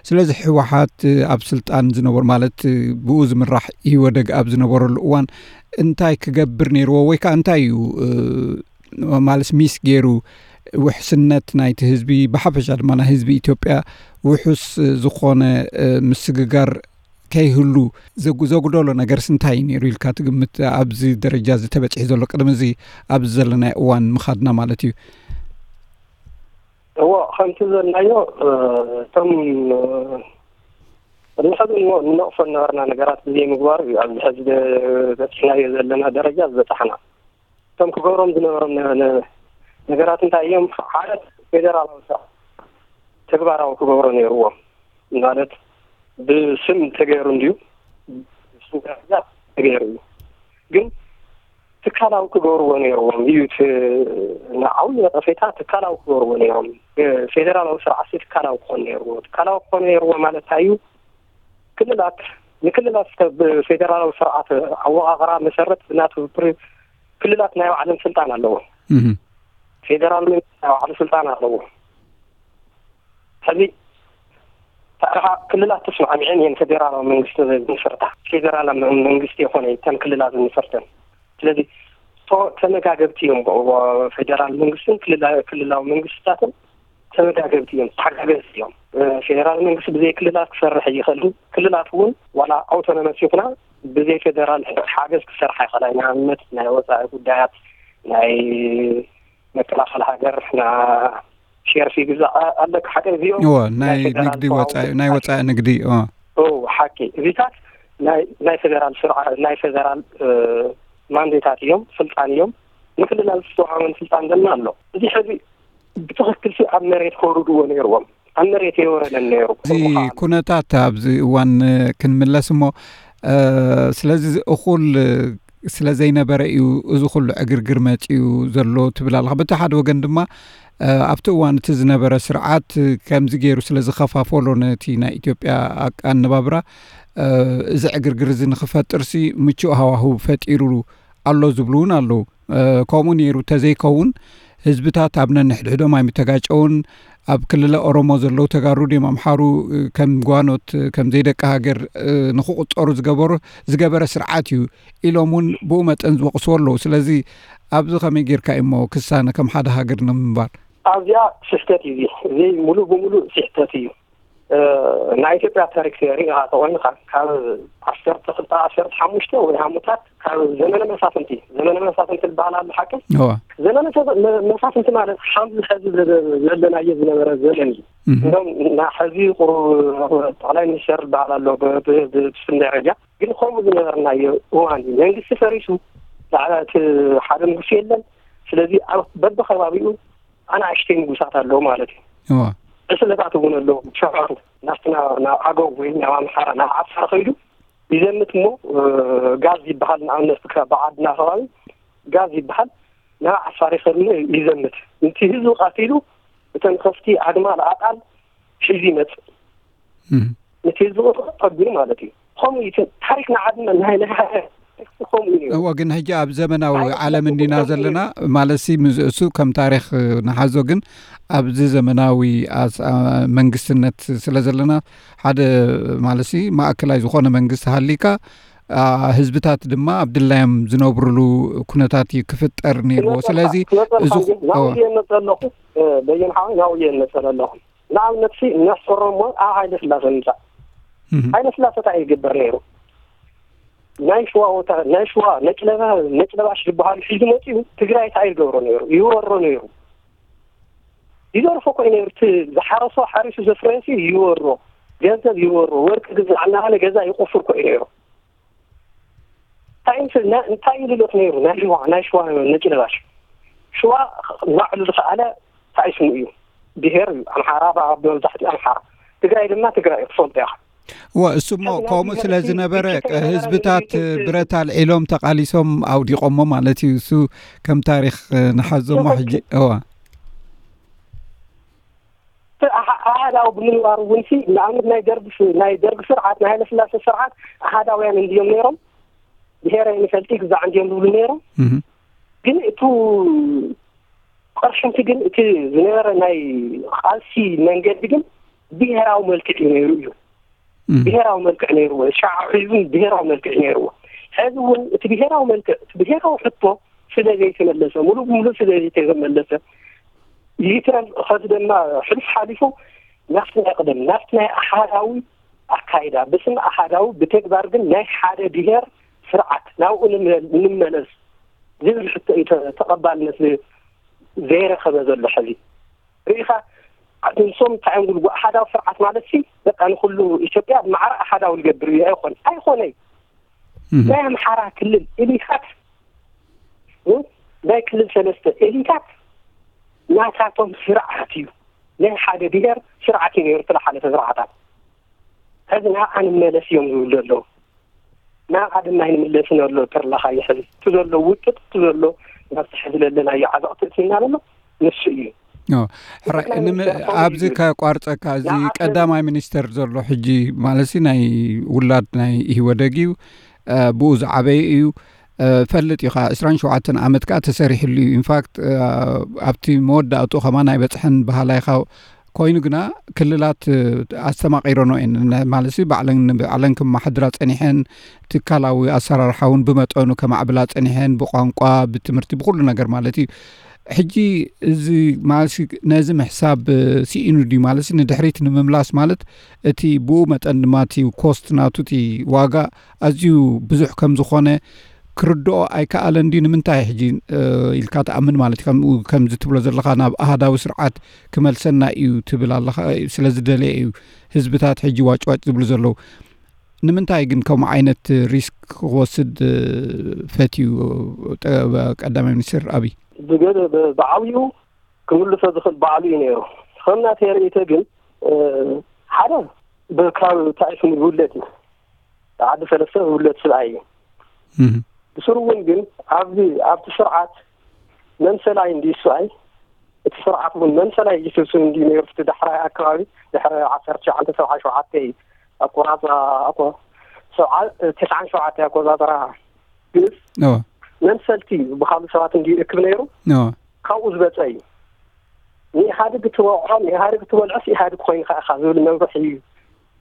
ስለዚ ህወሓት ኣብ ስልጣን ዝነበሩ ማለት ብኡ ዝምራሕ ኢህወደግ ኣብ ዝነበረሉ እዋን እንታይ ክገብር ነይርዎ ወይ ከዓ እንታይ እዩ ማለት ሚስ ገይሩ ውሕስነት ናይቲ ህዝቢ ብሓፈሻ ድማ ናይ ህዝቢ ኢትዮጵያ ውሑስ ዝኾነ ምስግጋር ከይህሉ ዘጉ- ዘጉደሎ ነገርስ እንታይ እዩ ነይሩ ኢልካ ትግምት? ኣብዚ ደረጃ እዚ ተበፂሑ ዘሎ ቅድሚ እዚ ኣብዚ ዘለናይ እዋን ምኻድና ማለት እዩ። እዎ ከምቲ ዘልናዮ እቶም ቅድሚ ሕዚ ንነቕፎ ዝነበርና ነገራት ብዘይምግባር እዩ ኣብዚ ሕዚ በፂሕናዮ ዘለና ደረጃ ዝበፃሕና። እቶም ክገብሮም ዝነበሮም ነገራት እንታይ እዮም? ሓደ ፌደራላዊ ስርዓት ተግባራዊ ክገብሮ ነይርዎም። ማለት ብስም ተገይሩ እንድዩ፣ ብስም ደረጃ ተገይሩ እዩ። ግን ትካላዊ ክገብርዎ ነይርዎም እዩ። ዓብዪ ነቐፌታ ትካላዊ ክገብርዎ ነይሮም። ፌደራላዊ ስርዓት ትካላዊ ክኾን ነይርዎ። ትካላዊ ክኾን ነይርዎ ማለት እንታይ እዩ? ክልላት ንክልላት ብፌደራላዊ ስርዓት ኣወቃቕራ መሰረት ብናቱ ክልላት ናይ ባዕለን ስልጣን ኣለዎ። ፌደራል መንግስቲ ናይ ባዕሉ ስልጣን ኣለዎ። ሕዚ ክልላት ተስማዕሚዐን እየን ፌደራላዊ መንግስቲ ዝምስርታ። ፌደራል መንግስቲ የኮነ እተን ክልላት ዝምስርተን። ስለዚ ተመጋገብቲ እዮም። ፌደራል መንግስትን ክልላዊ መንግስትታትን ተመጋገብቲ እዮም፣ ተሓጋገዝቲ እዮም። ፌደራል መንግስቲ ብዘይ ክልላት ክሰርሕ ይኽእል። ክልላት እውን ዋላ ኣውቶኖመስ ይኹና ብዘይ ፌደራል ሓገዝ ክሰርሓ ይኽእላ። ንኣብነት ናይ ወፃኢ ጉዳያት፣ ናይ መከላኸሊ ሃገር፣ ና ሸርፊ ግዛእ ኣለካ ሓደ እዚኦም እዎ ናይ ናይ ፌደራል ንግዲ ተዋውሶ ወፃኢ ናይ ወፃኢ ንግዲ እዎ። እዎ ሓቂ እዚታት ናይ ናይ ፌደራል ስርዓ ናይ ፌደራል ማንዴታት እዮም፣ ስልጣን እዮም። ንክልላት ዝተዋሃበን ስልጣን ድማ ኣሎ። እዚ ሕዚ ብትኽክል ሲ ኣብ መሬት ከውርድዎ ነይርዎም። ኣብ መሬት የወረደን ነይሩ። እዚ ኩነታት ኣብዚ እዋን ክንምለስ እሞ ስለዚ እኹል ስለ ዘይነበረ እዩ እዚ ኩሉ ዕግርግር መፂኡ ዘሎ ትብል ኣለኻ። በቲ ሓደ ወገን ድማ ኣብቲ እዋን እቲ ዝነበረ ስርዓት ከምዚ ገይሩ ስለ ዝኸፋፈሎ ነቲ ናይ ኢትዮጵያ ኣነባብራ እዚ ዕግርግር እዚ ንክፈጥርሲ ምቹእ ሃዋህው ፈጢሩ ኣሎ ዝብሉ እውን ኣለዉ። ከምኡ ነይሩ ተዘይከውን ህዝብታት ኣብ ነንሕድሕዶም ኣይምተጋጨውን። ኣብ ክልለ ኦሮሞ ዘለዉ ተጋሩ ድዮም ኣምሓሩ ከም ጓኖት ከም ዘይደቂ ሃገር ንክቁፀሩ ዝገበሩ ዝገበረ ስርዓት እዩ ኢሎም እውን ብኡ መጠን ዝወቅስዎ ኣለዉ። ስለዚ ኣብዚ ከመይ ጌርካ እሞ ክሳነ ከም ሓደ ሃገር ንምንባር ኣብዚኣ ስሕተት እዩ። እዚ ሙሉእ ብሙሉእ ስሕተት እዩ። እ፣ ናይ ኢትዮጵያ ታሪክ ሪኢኻ ተኾይንካ፣ ካብ ዓሰርተ ክልተ ዓሰርተ ሓሙሽተ ወይ ሃሙታት ካብ ዘመነ መሳፍንቲ፣ ዘመነ መሳፍንቲ ዝበሃል ኣሎ ሓቂ። እዋ። ዘመነ ተፈ-፣ መ-፣ መሳፍንቲ ማለት ሓምዚ ሕዚ ዘ-፣ ዘለናዮ ዝነበረ ዘመን እዩ። እህ። እንደውም ና-፣ ሕዚ ቁሩብ ጠቕላይ ሚኒስተር ዝበሃል ኣሎ ብ-፣ ብ-፣ ብ-፣ ብስም ደረጃ፣ ግን ከምኡ ዝነበርናዮ እዋን እዩ። መንግስቲ ፈሪሱ፣ ላዕላ እቲ ሓደ ንጉስ የለን። ስለዚ ኣብ በብኸባቢኡ ኣናእሽተይ ንጉሳት ኣለዉ ማለት እዩ። እዋ። ዕስለታት እውን ኣለዉ፣ ሸፋቱ ናብቲ ናብ፣ ናብ ኣገው ወይ ናብ ኣምሓራ፣ ናብ ዓፋር ከይዱ ይዘምት እሞ፣ እ፣ ጋዝ ይበሃል፣ ንኣብነት ብከ-፣ ብዓድና ከባቢ ጋዝ ይበሃል፣ ናብ ዓፋር ይኸድሞ ይዘምት። ነቲ ህዝቢ ቀቲሉ፣ እተን ከፍቲ፣ ኣግማል፣ ኣጣል ሒዙ ይመጽእ። እህ። ነቲ ህዝቢ ቁጥሪ ጠቢሩ ማለት እዩ። ከምኡ እዩ እቲ ታሪክ ንዓድና ናይ፣ ናይ ሃገር ከምኡ እዩ። እዎ፣ ግን ሕጂ ኣብ ዘመናዊ ዓለም እንዲና ዘለና ማለት ሲ ምስ እሱ ከም ታሪክ ንሓዞ፣ ግን ኣብዚ ዘመናዊ ኣስ-፣ ኣ-፣ መንግስትነት ስለ ዘለና ሓደ ማለት ሲ ማእከላይ ዝኾነ መንግስቲ ሃሊካ፣ ኣ፣ ህዝብታት ድማ ኣብ ድላዮም ዝነብሩሉ ኩነታት እዩ ክፍጠር ነይርዎ። ስለዚ ክመጸልካ እዚ፣ እንጂ ናብኡ እዎ። እየ እመጸ ኣለኹ። እ፣ በየን ሓወይ ናብኡ እየ እመጸ ኣለኹ። ንኣብነት ሲ ነሕጽሮ እሞ ኣብ ሃይለ ስላሴ ንምጻእ። እህ። ሃይለ ስላሴ እንታይ ይግበር ነይሩ? ናይ ሽዋ ወታ-፣ ናይ ሽዋ ነጭ ለባ-፣ ነጭ ለባሽ ዝበሃሉ ሒዙ መጺኡ ትግራይ እንታይ ይገብሮ ነይሩ? ይወሮ ነይሩ። ይዘርፎ እኮ እዩ ነይሩ። እቲ ዝሓረሶ ሓሪሱ ዘፍረየሲ ይወሮ፣ ገንዘብ ይወሮ፣ ወርቂ ግዛዕ እናበለ ገዛ ይቆፍር እኮ እዩ ነይሩ። እንታይ ምስ-፣ ና-፣ እንታይ ይልልኽ ነይሩ? ናይ ሽዋ፣ ናይ ሽዋ ነጭ ለባሽ። ሽዋ ባዕሉ ዝኸኣለ እንታይ ስሙ እዩ? ብሄር እዩ። ኣምሓራ፣ ብ-፣ ብመብዛሕትኡ ኣምሓራ። ትግራይ ድማ ትግራይ እዩ፣ ትፈልጦ ኢኻ። እወ፣ እሱ እሞ ከምኡ ስለ ዝነበረ፣ ህዝብታት ብረት ኣልዒሎም ተቓሊሶም ኣውዲቖሞ ማለት እዩ። እሱ ከም ታሪኽ ንሓዞ እሞ ሕጂ፣ እወ። እቲ ኣሃ-፣ ኣሃዳዊ ብምንባሩ እውን ሲ፣ ንኣብነት ናይ ደርግ ስ-፣ ናይ ደርግ ስርዓት፣ ናይ ሃይለስላሴ ስርዓት ኣሃዳውያን እንድዮም ነይሮም፣ ብሄረ ይንፈልጢ ግዛዕ እንድዮም ዝብሉ ነይሮም። እህ። ግን እቱ ቅርሕንቲ ግን እቲ ዝነበረ ናይ ቃልሲ መንገዲ ግን ብሄራዊ መልክዕ እዩ ነይሩ እዩ። እህ። ብሄራዊ መልክዕ ነይርዎ። ሻዕ ሒዙን ብሄራዊ መልክዕ ነይርዎ። ሕዚ እውን እቲ ብሄራዊ መልክዕ፣ እቲ ብሄራዊ ሕቶ ስለ ዘይተመለሰ፣ ሙሉእ ብሙሉእ ስለ ዘይተመለሰ፣ ይትረፍ ኸዚ ድማ ሕሉፍ ሓሊፉ ናብቲ ናይ ቀደም፣ ናብቲ ናይ ኣሃዳዊ ኣካይዳ፣ ብስም ኣሃዳዊ፣ ብተግባር ግን ናይ ሓደ ብሄር ስርዓት ናብኡ ንመ-፣ ንመለስ ዝብል ሕቶ እዩ ተ-፣ ተቐባልነት ዝ-፣ ዘይረኸበ ዘሎ ሕዚ። ርኢኻ፣ ንሶም እንታይ እዮም ዝብሉ? ኣሃዳዊ ስርዓት ማለት ሲ፣ በቃ ንኹሉ ኢትዮጵያ ብማዕረ ኣሃዳዊ ዝገብር እዩ። ኣይኾን-፣ ኣይኾነይ። እህ። ናይ ኣምሓራ ክልል ኤሊታት፣ እ፣ ናይ ክልል ሰለስተ ኤሊታት ናታቶም ስርዓት እዩ። ናይ ሓደ ብሄር ስርዓት እዩ ነይሩ፣ እቲ ዝሓለፈ ስርዓታት። ሕዚ ናብኣ ንመለስ እዮም ዝብሉ ዘለዉ። ናብኣ ድማ ኣይንምለስን ኣሎ ተርላኻ እዩ ሕዚ። እቲ ዘሎ ውጥጥ፣ እቲ ዘሎ ናብቲ ሕዚ ዘለናዮ ዓዘቕቲ እቲና ዘሎ ንሱ እዩ። ኦ፣ ሕራይ፣ እቲ ናይ ንመ-፣ ሚኒስተር ኮሚሽን ኣብዚ እዩ። ከቋርጸካ፣ እዚ ንዓሰርተ ቀዳማይ ሚኒስተር ዘሎ ሕጂ፣ ማለት ሲ፣ ናይ ውላድ ናይ ኢህወደግ እዩ፣ እ፣ ብኡ ዝዓበየ እዩ። እ፣ ፈልጥ ኢኻ፣ ዕስራን ሸውዓተን ዓመት ከኣ ተሰሪሕሉ እዩ። ኢንፋክት፣ እ፣ ኣብቲ መወዳእቱ ከማን ኣይበጽሐን በሃላይ ኢኻ። ኮይኑ ግና ክልላት፣ እ፣ ኣስተማቒረኖ እየን። ነ-፣ ማለት ሲ፣ ባዕለን ንባዕለን ክመሓድራ ጸኒሐን፣ ትካላዊ ኣሰራርሓ እውን ብመጠኑ ከማዕብላ ጸኒሐን፣ ብቋንቋ፣ ብትምህርቲ፣ ብኹሉ ነገር ማለት እዩ። ሕጂ እዚ ማለት ሲ፣ ነዚ ምሕሳብ፣ እ፣ ስኢኑ ድዩ ማለት ሲ፣ ንድሕሪት ንምምላስ ማለት እቲ ብኡ መጠን ድማ እቲ ኮስት ናቱ፣ እቲ ዋጋ ኣዝዩ ብዙሕ ከም ዝኾነ ክርድኦ ኣይከኣለን ድዩ? ንምንታይ ሕጂ፣ እ፣ ኢልካ ትኣምን ማለት እዩ? ከምኡ ከምዚ ትብሎ ዘለኻ ናብ ኣሃዳዊ ስርዓት ክመልሰና እዩ ትብል ኣለኻ፣ ስለ ዝደለየ እዩ ህዝብታት ሕጂ ዋጭዋጭ ዝብሉ ዘለዉ። ንምንታይ ግን ከምኡ ዓይነት ሪስክ ክወስድ፣ እ፣ ፈትዩ፣ ጠ-፣ ቀዳማይ ሚኒስትር ኣብይ? ብገ-፣ ብ-፣ ብዓብዩ ክምልሶ ዝኽእል ባዕሉ እዩ ነይሩ። ከም ናተይ ርእይቶ ግን፣ እ፣ ሓደ ብ-፣ ካብ እንታይ ስሙ ይውለድ እዩ። ዓዲ ሰለስተ ዝውለድ ስብኣይ እዩ። እህ። ብስሩ እውን ግን ኣብዚ፣ ኣብቲ ስርዓት መምሰላይ እንድዩ ስብኣይ፣ እቲ ስርዓት እውን መምሰላይ እዩ ስብስብ እንድዩ ነይሩ። እቲ ዳሕራይ ኣከባቢ፣ ድሕሪ ዓሰርተ ትሽዓተ ሰብዓ ሸውዓተ ኣቆራጽራ፣ ኣቆ-፣ ሰብዓ፣ ተስዓን ሸውዓተ ኣቆጻጽራ ግእዝ እዎ። መምሰልቲ ዝበሃሉ ሰባት እንድዩ ይእክብ ነይሩ። እዎ። ካብኡ ዝበጸ እዩ። ንኢህኣዴግ እትወቕዖ፣ ንኢህኣዴግ እትበልዖስ ኢህኣዴግ ኮይንካ ኢኻ ዝብል መምርሒ እዩ፣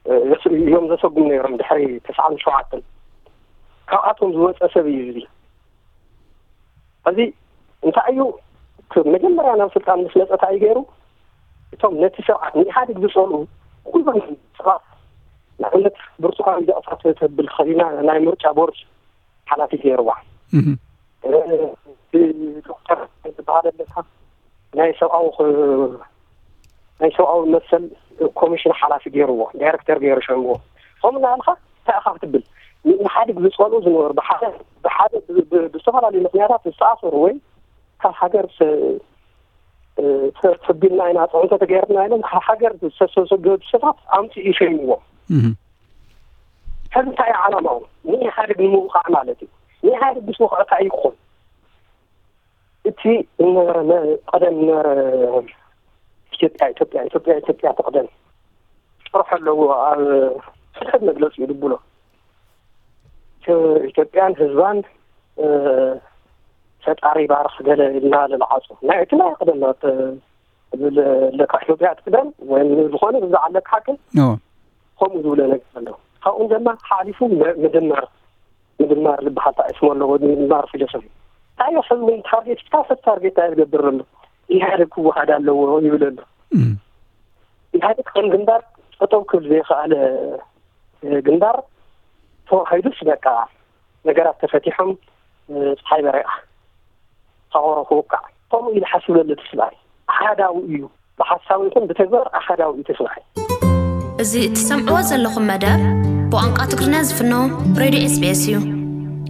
እ፣ እዮም ዘሰጉም ነይሮም ድሕሪ ተስዓን ሸውዓተን። ካብኣቶም ዝወጸ ሰብ እዩ እዚ። ሕዚ እንታይ እዩ፣ እቲ መጀመርያ ናብ ስልጣን ምስ መጸ እንታይ እዩ ገይሩ? እቶም ነቲ ስርዓት ንኢህኣዴግ ዝጸልኡ ኩሎም ሰባት ንኣብነት ብርቱካን ሚደቕሳ ተብል ኸሊና ናይ ምርጫ ቦርድ ሓላፊ ገይርዋ። ዶክተር ዝበሃል ኣለካ ናይ ሰብኣዊ ናይ ሰብኣዊ መሰል ኮሚሽን ሓላፊ ገይርዎ፣ ዳይረክተር ገይሩ ሸምዎ። ከምኡ እናበልካ እንታይ ኢኻ ክትብል? ንኢህኣዴግ ዝፀልኡ ዝነበሩ ብሓደ ብሓደ ብዝተፈላለዩ ምክንያታት ዝተኣሰሩ ወይ ካብ ሃገር ተቢልና ኢና ፅዕንቶ ተገይርና ኢሎም ካብ ሃገር ዝተሰገዱ ሰባት ኣምፅኡ ይሸይምዎም። ሕዚ እንታይ እዩ ዓላማኡ? ንኢህኣዴግ ንምውቃዕ ማለት እዩ። ንኢህኣዴግ ምስ ወቕዐ እንታይ እዩ ክኾን? እቲ ዝነበረ ቀደም ዝነበረ ኢትዮጵያ ኢትዮጵያ ኢትዮጵያ ኢትዮጵያ ትቕደም ጥርሑ ኣለዎ። ኣብ ሕድሕድ መግለፂ እዩ ድብሎ። ኢትዮጵያን ህዝባን ፈጣሪ ባርኽ ገለ ኢልና ልልዓፁ ናይ እቲ ናይ ቀደም ለካ ኢትዮጵያ ትቅደም ወይም ዝኾነ ብዛዕባ ለካ ሓቂ ከምኡ ዝብለ ነገር ኣሎ። ካብኡ ድማ ሓሊፉ ምድማር ምድማር ዝበሃል ጣዕስሞ ኣለዎ። ምድማር ፊሎሶፊ እንታይ እዩ? ሕልሚ ታርጌት ካ ሰብ ታርጌት እንታይ ዝገብር ዘሎ? ኢህኣዴግ ክወሃድ ኣለዎ ይብል ኣሎ። ኢህኣዴግ ከም ግንባር ጠጠው ክብል ዘይከኣለ ግንባር ተዋሂዱስ በቃ ነገራት ተፈቲሖም ፀሓይ በሪቓ ተቆሮ ክውቃዕ ከምኡ ኢሉ ሓስብ ዘሎ እቲ ስብኣይ ኣሓዳዊ እዩ። ብሓሳብ ይኹን ብተግባር ኣሓዳዊ እዩ እቲ ስብኣይ። እዚ እትሰምዕዎ ዘለኹም መደብ ብቋንቋ ትግርኛ ዝፍኖ ሬድዮ ኤስቢኤስ እዩ።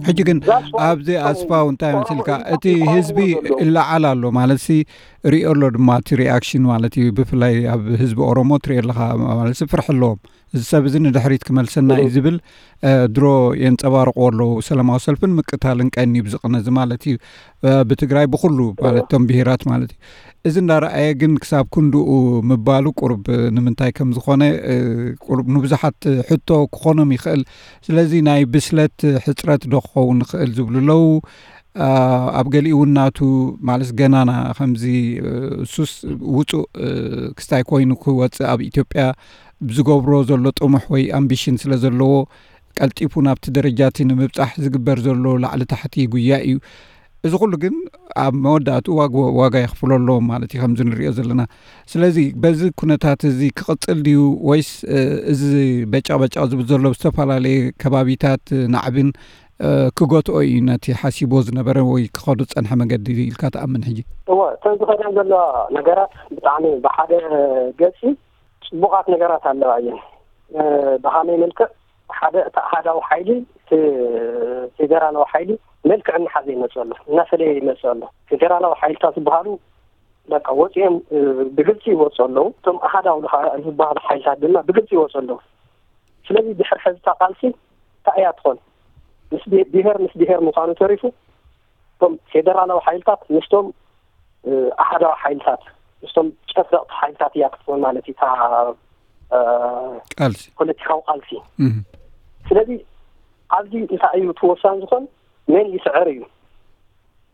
ሕጂ ግን ኣብዚ ኣስፋው እንታይ መስልካ እቲ ህዝቢ እለዓል ኣሎ ማለት ሲ ሪኦ ኣሎ ድማ እቲ ሪኣክሽን ማለት እዩ። ብፍላይ ኣብ ህዝቢ ኦሮሞ ትሪኦ ኣለካ ማለት ሲ ፍርሒ ኣለዎም። እዚ ሰብ እዚ ንድሕሪት ክመልሰና እዩ ዝብል ድሮ የንፀባርቆ ኣለዉ። ሰላማዊ ሰልፍን ምቅታልን ቀንዩ ብዝቕነ እዚ ማለት እዩ። ብትግራይ ብኩሉ ማለት እቶም ብሄራት ማለት እዩ። እዚ እንዳረኣየ ግን ክሳብ ክንድኡ ምባሉ ቁርብ ንምንታይ ከም ዝኾነ ቁርብ ንብዙሓት ሕቶ ክኾኖም ይኽእል። ስለዚ ናይ ብስለት ሕፅረት ዶ ክኸውን ይኽእል ዝብሉ ኣለዉ። ኣብ ገሊኡ እውን ናቱ ማለት ገናና ከምዚ እሱስ ውፁእ ክስታይ ኮይኑ ክወፅእ ኣብ ኢትዮጵያ ብዝገብሮ ዘሎ ጥሙሕ ወይ ኣምቢሽን ስለ ዘለዎ ቀልጢፉ ናብቲ ደረጃ እቲ ንምብፃሕ ዝግበር ዘሎ ላዕሊ ታሕቲ ጉያ እዩ። እዚ ኩሉ ግን ኣብ መወዳእትኡ ዋጋ የኽፍሎ ኣለዎም ማለት እዩ ከምዚ ንሪኦ ዘለና። ስለዚ በዚ ኩነታት እዚ ክቕፅል ድዩ ወይስ እዚ በጨቕበጨቕ ዝብል ዘሎ ብዝተፈላለየ ከባቢታት ናዕብን ክገትኦ እዩ ነቲ ሓሲቦ ዝነበረ ወይ ክኸዶ ዝፀንሐ መገዲ ኢልካ ትኣምን ሕጂ? እወ እተን ዝኸዳ ዘለዋ ነገራት ብጣዕሚ ብሓደ ገፂ ፅቡቓት ነገራት ኣለዋ እየን። ብሃመይ መልክዕ ሓደ እቲ ኣሃዳዊ ሓይሊ እቲ ፌዴራላዊ ሓይሊ መልክዕ እናሓዘ ይመፅእ ኣሎ፣ እናፈለየ ይመፅእ ኣሎ። ፌዴራላዊ ሓይልታት ዝበሃሉ በቃ ወፂኦም ብግልፂ ይወፁ ኣለዉ። እቶም ኣሃዳዊ ዝበሃሉ ሓይልታት ድማ ብግልፂ ይወፁ ኣለዉ። ስለዚ ድሕር ሕዚ እታ ቃልሲ እንታይ እያ ትኾን? ምስ ብሄር ምስ ብሄር ምዃኑ ተሪፉ እቶም ፌደራላዊ ሓይልታት ምስቶም ኣሃዳዊ ሓይልታት ምስቶም ጨፍለቕቲ ሓይልታት እያ ክትኾን ማለት እዩ እታ ቃልሲ ፖለቲካዊ ቃልሲ። ስለዚ ኣብዚ እንታይ እዩ እቲ ወሳኒ ዝኾን መን ይስዕር እዩ።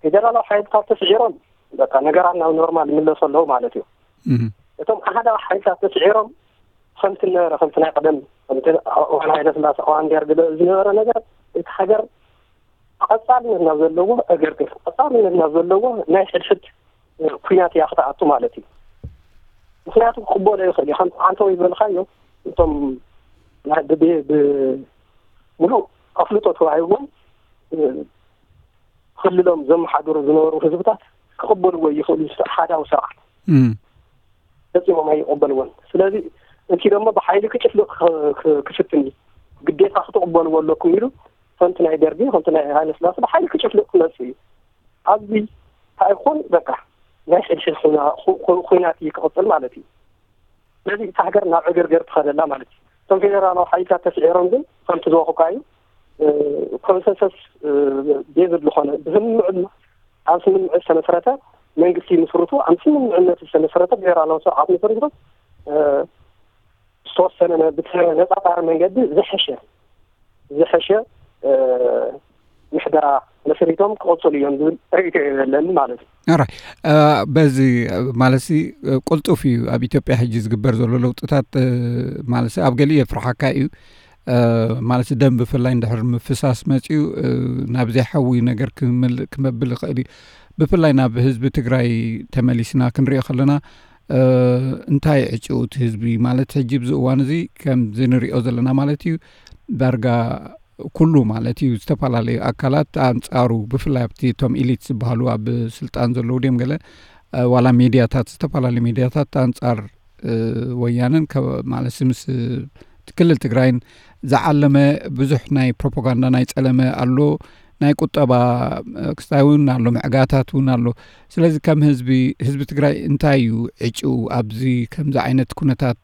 ፌደራላዊ ሓይልታት ተስዒሮም በቃ ነገራት ናብ ኖርማል ይምለሱ ኣለዉ ማለት እዩ። እቶም ኣሃዳዊ ሓይልታት ተስዒሮም ከምቲ ነበረ ከምቲ ናይ ቀደም ከምቲ እዋን ሃይለ ስላሴ እዋን ደርግ ዝነበረ ነገር እቲ ሃገር ቀፃልነት ናብ ዘለዎ እገርግር ቀፃልነት ናብ ዘለዎ ናይ ሕድሕድ ኩናት እያ ክትኣቱ ማለት እዩ። ምክንያቱ ክቅበሎ ይኽእል እዩ። ከምቲ ዓንተወይ ዝበልካዮ እቶም ናይ ብብሄ ብሙሉእ ኣፍልጦ ተዋሂብዎም ክልሎም ዘመሓድሩ ዝነበሩ ህዝብታት ክቅበልዎ ይኽእሉ። ሓዳዊ ስርዓት ፈፂሞም ኣይቀበልዎን። ስለዚ እቲ ደሞ ብሓይሊ ክጭፍልቕ ክፍትን እዩ። ግዴታ ክትቕበልዎ ኣለኩም ኢሉ ከምቲ ናይ ደርጊ ከምቲ ናይ ሃይለስላሴ ብሓይሊ ክጭፍልቕ ክመፅእ እዩ። ኣብዚ እንታይ ይኾን በቃ ናይ ሕድሕድ ኩናት እዩ ክቕፅል ማለት እዩ። ስለዚ እታ ሃገር ናብ ዕግርግር ትኸደላ ማለት እዩ። እቶም ፌደራላዊ ሓይልታት ተስዒሮም ግን ከምቲ ዝበኹካ እዩ ኮንሰንሰስ ቤዝድ ዝኾነ ብስምምዕ ኣብ ስምምዕ ዝተመስረተ መንግስቲ ይምስርቱ። ኣብ ስምምዕነት ዝተመስረተ ብሄራዊ ስርዓት መስሪቶም ዝተወሰነ ብተነፃፃሪ መንገዲ ዝሐሸ ዝሐሸ ምሕደራ መስሪቶም ክቕፅሉ እዮም ዝብል ርእይቶ እዩ ዘለኒ ማለት እዩ። ራይ በዚ ማለት ቅልጡፍ እዩ ኣብ ኢትዮጵያ ሕጂ ዝግበር ዘሎ ለውጥታት ማለት ኣብ ገሊኡ የፍርሓካ እዩ። ማለት ደም ብፍላይ እንድሕር ምፍሳስ መፅዩ ናብ ዘይሓዊ ነገር ክመብል ይኽእል እዩ። ብፍላይ ናብ ህዝቢ ትግራይ ተመሊስና ክንሪኦ ከለና እንታይ ዕጭኡ እቲ ህዝቢ ማለት ሕጂ ብዚ እዋን እዚ ከምዚ ንሪኦ ዘለና ማለት እዩ ዳርጋ ኩሉ ማለት እዩ ዝተፈላለዩ ኣካላት ኣንጻሩ ብፍላይ ኣብቲ እቶም ኢሊት ዝበሃሉ ኣብ ስልጣን ዘለዉ ድዮም ገለ ዋላ ሚድያታት ዝተፈላለዩ ሚድያታት ኣንጻር ወያነን ማለት ምስ ክልል ትግራይን ዝዓለመ ብዙሕ ናይ ፕሮፓጋንዳ ናይ ጸለመ ኣሎ። ናይ ቁጠባ ክስታይ እውን ኣሎ፣ ምዕጋታት እውን ኣሎ። ስለዚ ከም ህዝቢ ህዝቢ ትግራይ እንታይ እዩ ዕጭኡ ኣብዚ ከምዚ ዓይነት ኩነታት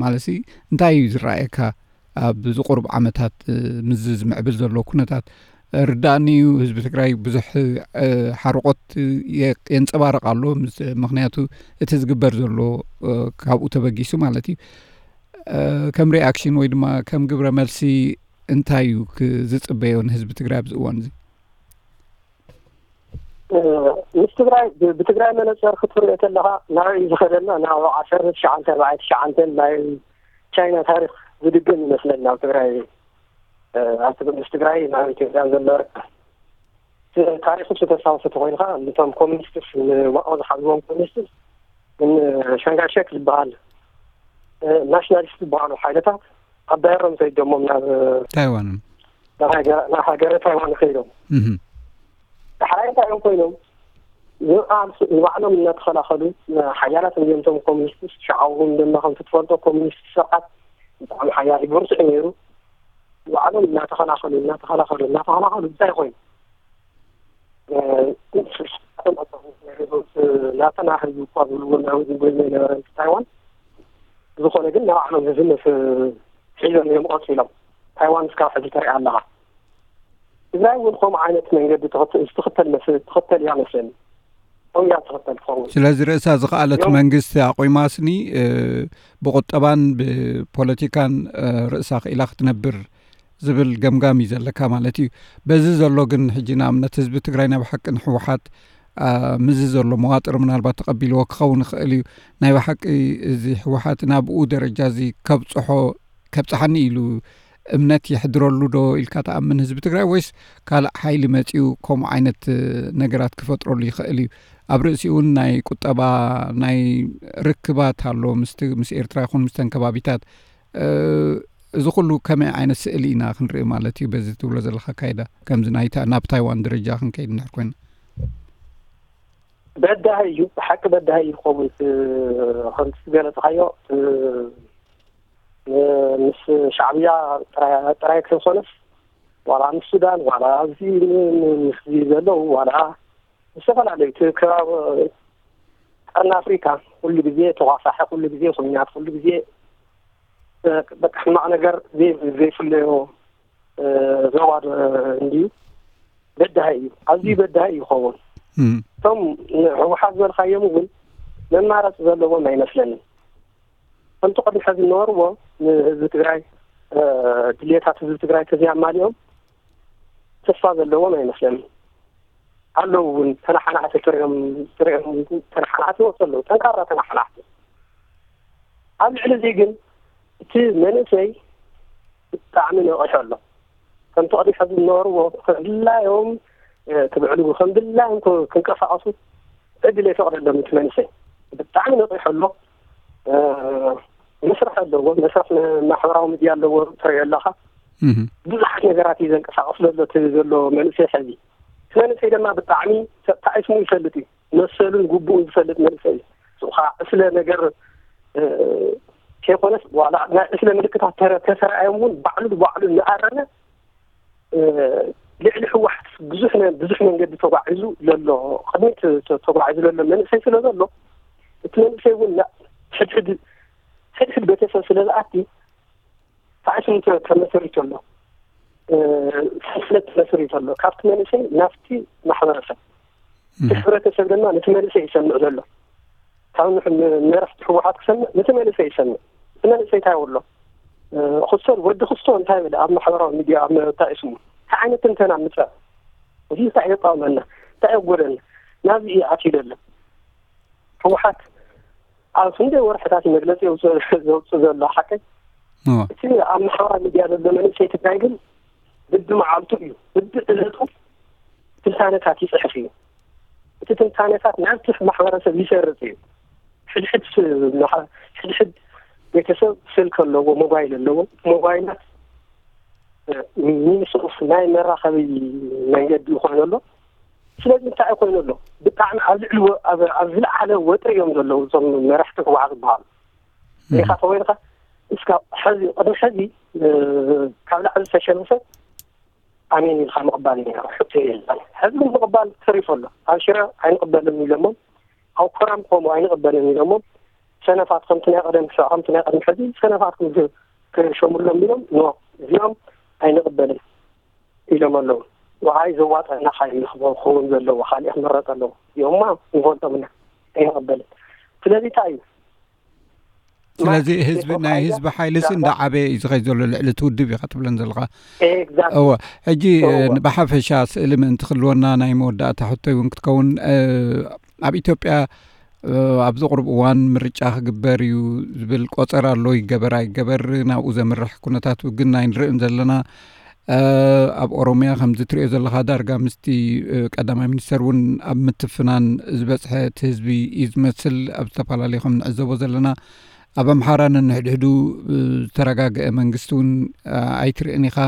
ማለት እንታይ እዩ ዝረኣየካ ኣብዚ ቁሩብ ዓመታት ምስዚ ዝምዕብል ዘሎ ኩነታት? ርዳእኒ እዩ ህዝቢ ትግራይ ብዙሕ ሓርቆት የንፀባርቕ ኣሎ፣ ምክንያቱ እቲ ዝግበር ዘሎ ካብኡ ተበጊሱ ማለት እዩ። ከም ሪኣክሽን ወይ ድማ ከም ግብረ መልሲ እንታይ እዩ ዝፅበዮ ንህዝቢ ትግራይ ኣብዚ እዋን እዚ? ምስ ትግራይ ብትግራይ መነፀር ክትሪኦ ከለካ ናበይ ዝኸደና ናብ ዓሰርተ ትሽዓተ ኣርባዕተ ትሽዓተ ናይ ቻይና ታሪክ ዝድግም ይመስለኒ ኣብ ትግራይ። ኣብ ምስ ትግራይ ናብ ኢትዮጵያ ዘሎ ርክብ ታሪክ ምስ ተስታውስ ተኮይንካ ነቶም ኮሚኒስትስ ንማኦ ዝሓዝዎም ኮሚኒስትስ ሸንጋሸክ ዝበሃል ናሽናሊስት ዝበሃሉ ሓይልታት ኣባሂሮም ሰይዶሞም ናብ ታይዋን ናብ ሃገረ ታይዋን ከይዶም ዳሕራይ እንታይ እዮም ኮይኖም ንባዕሎም እናተኸላኸሉ ሓያላት እዮም እቶም ኮሚኒስት ሽዓውን ድማ ከም ትፈልጦ ኮሚኒስት ስርዓት ብጣዕሚ ሓያል ብርቱዕ ነይሩ። ባዕሎም እናተኸላኸሉ እናተኸላኸሉ እናተኸላኸሉ እንታይ ኮይኑ ናተና ህዝቢ እኳ ዝብልዎ ናውዚ ጎይሞ የነበረ ታይዋን ብዝኾነ ግን ንባዕሎም ህዝነት ሒዞም እዮም ቀፂሎም። ታይዋን እስካብ ሕዚ ተሪኣ ኣለኻ። ትግራይ እውን ከምኡ ዓይነት መንገዲ ትኽተል መስ ትኽተል እያ መስለኒ። ከምኡ እያ ትኽተል ትኸውን። ስለዚ ርእሳ ዝኸኣለት መንግስቲ ኣቑማስኒ ብቁጠባን ብፖለቲካን ርእሳ ክኢላ ክትነብር ዝብል ገምጋም እዩ ዘለካ ማለት እዩ። በዚ ዘሎ ግን ሕጂ ንኣብነት ህዝቢ ትግራይ ናይ ብሓቂ ንህወሓት ምስዚ ዘሎ መዋጥር ምናልባት ተቐቢልዎ ክኸውን ይኽእል እዩ። ናይ ብሓቂ እዚ ህወሓት ናብኡ ደረጃ እዚ ከብፅሖ ከብፅሓኒ ኢሉ እምነት የሕድረሉ ዶ ኢልካ ትኣምን ህዝቢ ትግራይ ወይስ ካልእ ሓይሊ መፂኡ ከምኡ ዓይነት ነገራት ክፈጥረሉ ይኽእል እዩ? ኣብ ርእሲኡ እውን ናይ ቁጠባ ናይ ርክባት ኣሎ ምስ ኤርትራ ይኹን ምስተን ከባቢታት እዚ ኩሉ ከመይ ዓይነት ስእሊ ኢና ክንርኢ ማለት እዩ በዚ ትብሎ ዘለካ ኣካይዳ ከምዚ ናይታ ናብ ታይዋን ደረጃ ክንከይድ እንድሕር ኮይና? በዳሂ እዩ፣ ብሓቂ በዳሂ እዩ ክኸውን። ከምቲ ዝገለፅካዮ ምስ ሻዕብያ ጥራይ ከይኮነስ ዋላ ምስ ሱዳን ዋላ ኣብዚ ምስ ዘለዉ ዋላ ዝተፈላለዩ እቲ ከባቢ ቀርኒ ኣፍሪካ ኩሉ ግዜ ተኳሳሒ ኩሉ ግዜ ኩናት ኩሉ ግዜ በቃ ሕማቕ ነገር ዘይፍለዮ ዞባ እንድዩ። በዳሂ እዩ፣ ኣዝዩ በዳሂ እዩ ይኸውን። እቶም ህወሓት ዝበልካዮም እውን መማረፂ ዘለዎም ኣይመስለንን። ከምቲ ቅድሚ ሕዚ ዝነበርዎ ንህዝቢ ትግራይ ድሌታት ህዝቢ ትግራይ ተዘይኣማሊኦም ተስፋ ዘለዎም ኣይመስለንን። ኣለዉ እውን ተናሓናሕቲ ትሪኦም ትሪኦም ተናሓናሕቲ ይወፁ ኣለዉ፣ ጠንካራ ተናሓናሕቲ። ኣብ ልዕሊ እዚ ግን እቲ መንእሰይ ብጣዕሚ ነቒሑ ኣሎ። ከምቲ ቅድሚ ሕዚ ዝነበርዎ ከም ድላዮም ክብዕሉ ከም ድላዮም ክንቀሳቐሱ ዕድል የፈቕደሎም እቲ መንእሰይ ብጣዕሚ ነቒሑ ኣሎ። መስርሕ ኣለዎ፣ መስርሕ ማሕበራዊ ሚድያ ኣለዎ ትሪኦ ኣለኻ። ብዙሓት ነገራት እዩ ዘንቀሳቐስ ዘሎ እቲ ዘሎ መንእሰይ ሕዚ። እቲ መንእሰይ ድማ ብጣዕሚ ተጣዒስሙ ይፈልጥ እዩ፣ መሰሉን ግቡኡን ዝፈልጥ መንእሰይ እዩ። እሱ ከዓ ዕስለ ነገር ከይኮነስ ዋላ ናይ ዕስለ ምልክታት ተተረኣዮም እውን ባዕሉ ባዕሉ እናኣረመ ልዕሊ ህወሓት ብዙሕ ብዙሕ መንገዲ ተጓዒዙ ዘሎ ቅድሚት ተጓዒዙ ዘሎ መንእሰይ ስለ ዘሎ እቲ መንእሰይ እውን ሕድሕድ ሕድሕድ ቤተሰብ ስለ ዝኣቲ ሳዕስን ተመስሪቱ ኣሎ። ሰንሰለት ተመስሪቱ ኣሎ። ካብቲ መንእሰይ ናብቲ ማሕበረሰብ እቲ ሕብረተሰብ ድማ ነቲ መንእሰይ ይሰምዕ ዘሎ ካብ መራሕቲ ህወሓት ክሰምዕ ነቲ መንእሰይ ይሰምዕ። እቲ መንእሰይ እንታይ ኣሎ ክስቶን ወዲ ክስቶ እንታይ በለ ኣብ ማሕበራዊ ሚድያ ኣብ መታቂ ስሙ እንታይ ዓይነት ትንተና ምፀ እዚ እንታይ የቃወመና እንታይ የጎደና ናብዚ እዩ ኣትዩ ዘሎ። ህወሓት ኣብ ክንደይ ወርሕታት መግለፂ ዘውፅእ ዘሎ ሓቀይ እቲ ኣብ ማሕበራዊ ሚድያ ዘሎ መንእሰይ ትግራይ ግን ብቢ መዓልቱ እዩ ብቢ ዕለቱ ትንታነታት ይፅሕፍ እዩ። እቲ ትንታነታት ናብቲ ማሕበረሰብ ይሰርፅ እዩ። ሕድሕድ ስ- መሓ- ሕድሕድ ቤተሰብ ስልክ ኣለዎ፣ ሞባይል ኣለዎ። ሞባይላት ሚንስ ኦፍ ናይ መራኸቢ መንገዲ ኮይኑ ኣሎ። ስለዚ እንታይ ኮይኑ ኣሎ? ብጣዕሚ ኣብ ልዕሊ ወ- ኣብ ኣብ ዝለዓለ ወጥሪ እዮም ዘለዉ እዞም መራሕቲ ህወሓት ዝበሃሉ። ሪኢኻ ተኮይንካ እስካ ሕዚ ቅድሚ ሕዚ ካብ ላዕሊ ዝተሸነፈ ኣሜን ኢልካ ምቕባል እዩ ነይሩ፣ ሕቶ የለን። ሕዚ ግን ምቕባል ተሪፉ ኣሎ። ኣብ ሽረ ኣይንቕበልን ኢሎሞም፣ ኣብ ኮራም ከምኡ ኣይንቕበልን ኢሎሞም። ሰነፋት ከምቲ ናይ ቀደም ክሳዕ ከምቲ ናይ ቀደም ሕዚ ሰነፋት ክም- ክሸሙሎም ኢሎም ኖ እዚኦም ኣይንቕበልን ኢሎም ኣለዉ። ወዓይ ዘዋጠና ሓይሊ ክኸውን ዘለዎ ካልእ ክምረጥ ኣለዎ። እዚኦምማ ንፈልጦም ኢና ኣይንቕበልን። ስለዚ እንታይ እዩ ስለዚ ህዝቢ ናይ ህዝቢ ሓይልስ እንዳዓበየ እዩ ዝኸይድ ዘሎ ልዕሊ እቲ ውድብ ኢኻ ትብለን ዘለኻ። እወ ሕጂ ብሓፈሻ ስእሊ ምእንቲ ክልወና ናይ መወዳእታ ሕቶይ እውን ክትከውን ኣብ ኢትዮጵያ ኣብዚ ቁሩብ እዋን ምርጫ ክግበር እዩ ዝብል ቆፀራ ኣሎ። ይገበር ኣይገበር ናብኡ ዘምርሕ ኩነታት ግን ኣይንርእን ዘለና። ኣብ ኦሮምያ ከምዚ ትሪኦ ዘለኻ ዳርጋ ምስቲ ቀዳማይ ሚኒስተር እውን ኣብ ምትፍናን ዝበፅሐ እቲ ህዝቢ እዩ ዝመስል። ኣብ ዝተፈላለዩ ከም ንዕዘቦ ዘለና ኣብ ኣምሓራ ነንሕድሕዱ ዝተረጋግአ መንግስቲ እውን ኣይትርእን ኢኻ።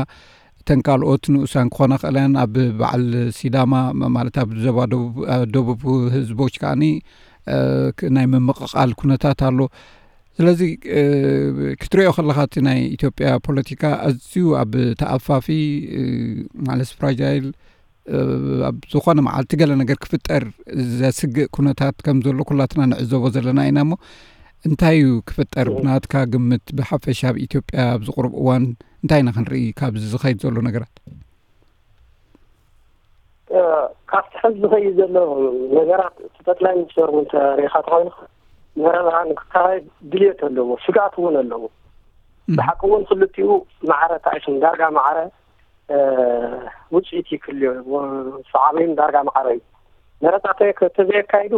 እተን ካልኦት ንኡሳን ክኾና ክእለን ኣብ በዓል ሲዳማ ማለት ኣብ ዞባ ደቡብ ህዝቦች ከዓኒ ናይ ምምቕቓል ኩነታት ኣሎ። ስለዚ ክትሪኦ ከለኻ እቲ ናይ ኢትዮጵያ ፖለቲካ ኣዝዩ ኣብ ተኣፋፊ ማለት ፍራጃይል ኣብ ዝኾነ መዓልቲ ገለ ነገር ክፍጠር ዘስግእ ኩነታት ከም ዘሎ ኩላትና ንዕዘቦ ዘለና ኢና እሞ እንታይ እዩ ክፍጠር ብናትካ ግምት ብሓፈሻ ኣብ ኢትዮጵያ ኣብዚ ቁሩብ እዋን እንታይ ኢና ክንርኢ ካብዚ ዝኸይድ ዘሎ ነገራት? ካብቲ ሕዚ ዝኸይድ ዘሎ ነገራት እቲ ጠቅላይ ሚኒስተር እውን ተሪኢኻ ተኾይኑ መረፃ ንክካየድ ድልየት ኣለዎ፣ ስግኣት እውን ኣለዎ። ብሓቂ እውን ክልቲኡ ማዕረ ተኣይሶም ዳርጋ ማዕረ ውፅኢት ይክልዮ ሰዓበይን ዳርጋ ማዕረ እዩ። መረፃ ተዘየካይዱ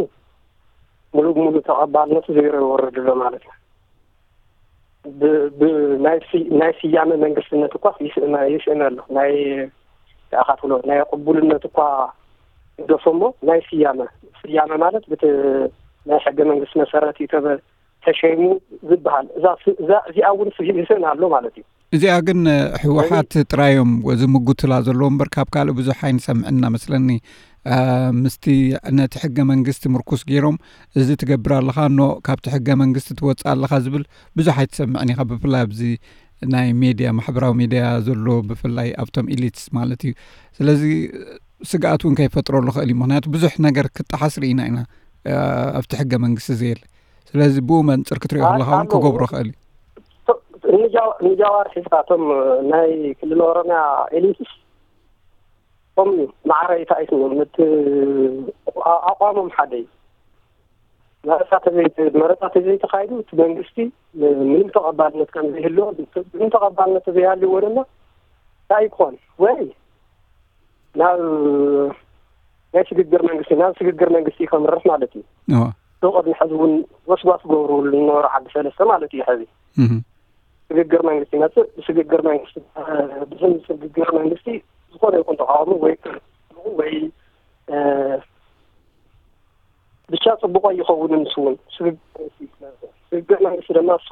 ሙሉእ ብሙሉእ ተቐባልነቱ ዜሮ ይወርድ ኣሎ ማለት እዩ። ናይ ስያመ መንግስትነት እኳ ይስእነ ኣሎ። ናይ ኣኻትሎ ናይ ቅቡልነት እኳ ይገፎ እሞ ናይ ስያመ ስያመ ማለት ብቲ ናይ ሕገ መንግስቲ መሰረት እዩ ተሸይሙ ዝበሃል እዚኣ እውን ይስእን ኣሎ ማለት እዩ። እዚኣ ግን ህወሓት ጥራዮም ዝምጉትላ ዘለዎ እምበር ካብ ካልእ ብዙሕ ኣይንሰምዕን እናመስለኒ። ምስቲ ነቲ ሕገ መንግስቲ ምርኩስ ገይሮም እዚ ትገብር ኣለኻ ኖ ካብቲ ሕገ መንግስቲ ትወፅእ ኣለኻ ዝብል ብዙሕ ኣይትሰምዕን ኢኻ። ብፍላይ ኣብዚ ናይ ሜድያ ማሕበራዊ ሜድያ ዘሎ ብፍላይ ኣብቶም ኢሊትስ ማለት እዩ። ስለዚ ስግኣት እውን ከይፈጥረሉ ክእል እዩ። ምክንያቱ ብዙሕ ነገር ክጠሓስ ርኢና ኢና ኣብቲ ሕገ መንግስቲ ዘየለ። ስለዚ ብኡ መንፅር ክትሪኦ ከለካ እውን ክገብሮ ክእል እዩ። ንጃዋር ሒዝካ እቶም ናይ ክልል ኦሮሚያ ኤሊትስ ከም ማዕረ ይታይትዎም እቲ ኣቋሞም ሓደ እዩ። መረፃ ተዘይተካይዱ እቲ መንግስቲ ምንም ተቐባልነት ከም ዘይህልዎ ምንም ተቐባልነት ተዘይሃልዎ ድማ እንታይ ክኾን ወይ ናብ ናይ ሽግግር መንግስቲ ናብ ሽግግር መንግስቲ ከምርሕ ማለት እዩ። ብ ቅድሚ ሕዚ እውን ወስዋስ ገብርሉ ዝነበሩ ዓዲ ሰለስተ ማለት እዩ። ሕዚ ሽግግር መንግስቲ ይመፅእ። ብሽግግር መንግስቲ ብስም ሽግግር መንግስቲ ዝኾነ ይኹን ተቃውሞ ወይ ወይ ብቻ ፅቡቆ ይኸውን። ንሱ እውን ሽግግር መንግስቲ ድማ እሱ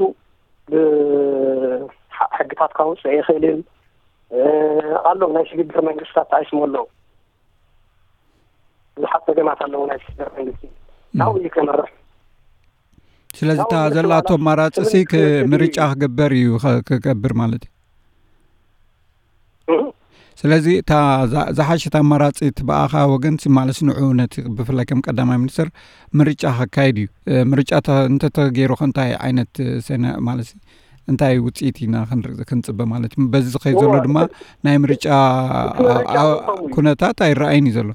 ብሕግታት ካውፅእ ይኽእልን ኣሎ። ናይ ሽግግር መንግስታት ተኣይስሞ ኣለዉ። ብዙሓት ፀገማት ኣለዉ ናይ ሽግግር መንግስቲ ናብኡ እዩ ከመርሕ። ስለዚ እታ ዘላቶ ኣማራፂ ሲ ምርጫ ክግበር እዩ ክገብር ማለት እዩ። ስለዚ እታ ዝሓሸት ኣማራፂ እቲ ብኣኻ ወገን ሲ ማለት ንዑ ነቲ ብፍላይ ከም ቀዳማይ ሚኒስትር ምርጫ ከካይድ እዩ። ምርጫ እንተተገይሩ ከ እንታይ ዓይነት ሰነ ማለት እንታይ ውፅኢት ኢና ክንፅበ ማለት እዩ። በዚ ዝኸይድ ዘሎ ድማ ናይ ምርጫ ኩነታት ኣይረኣይን እዩ ዘሎ።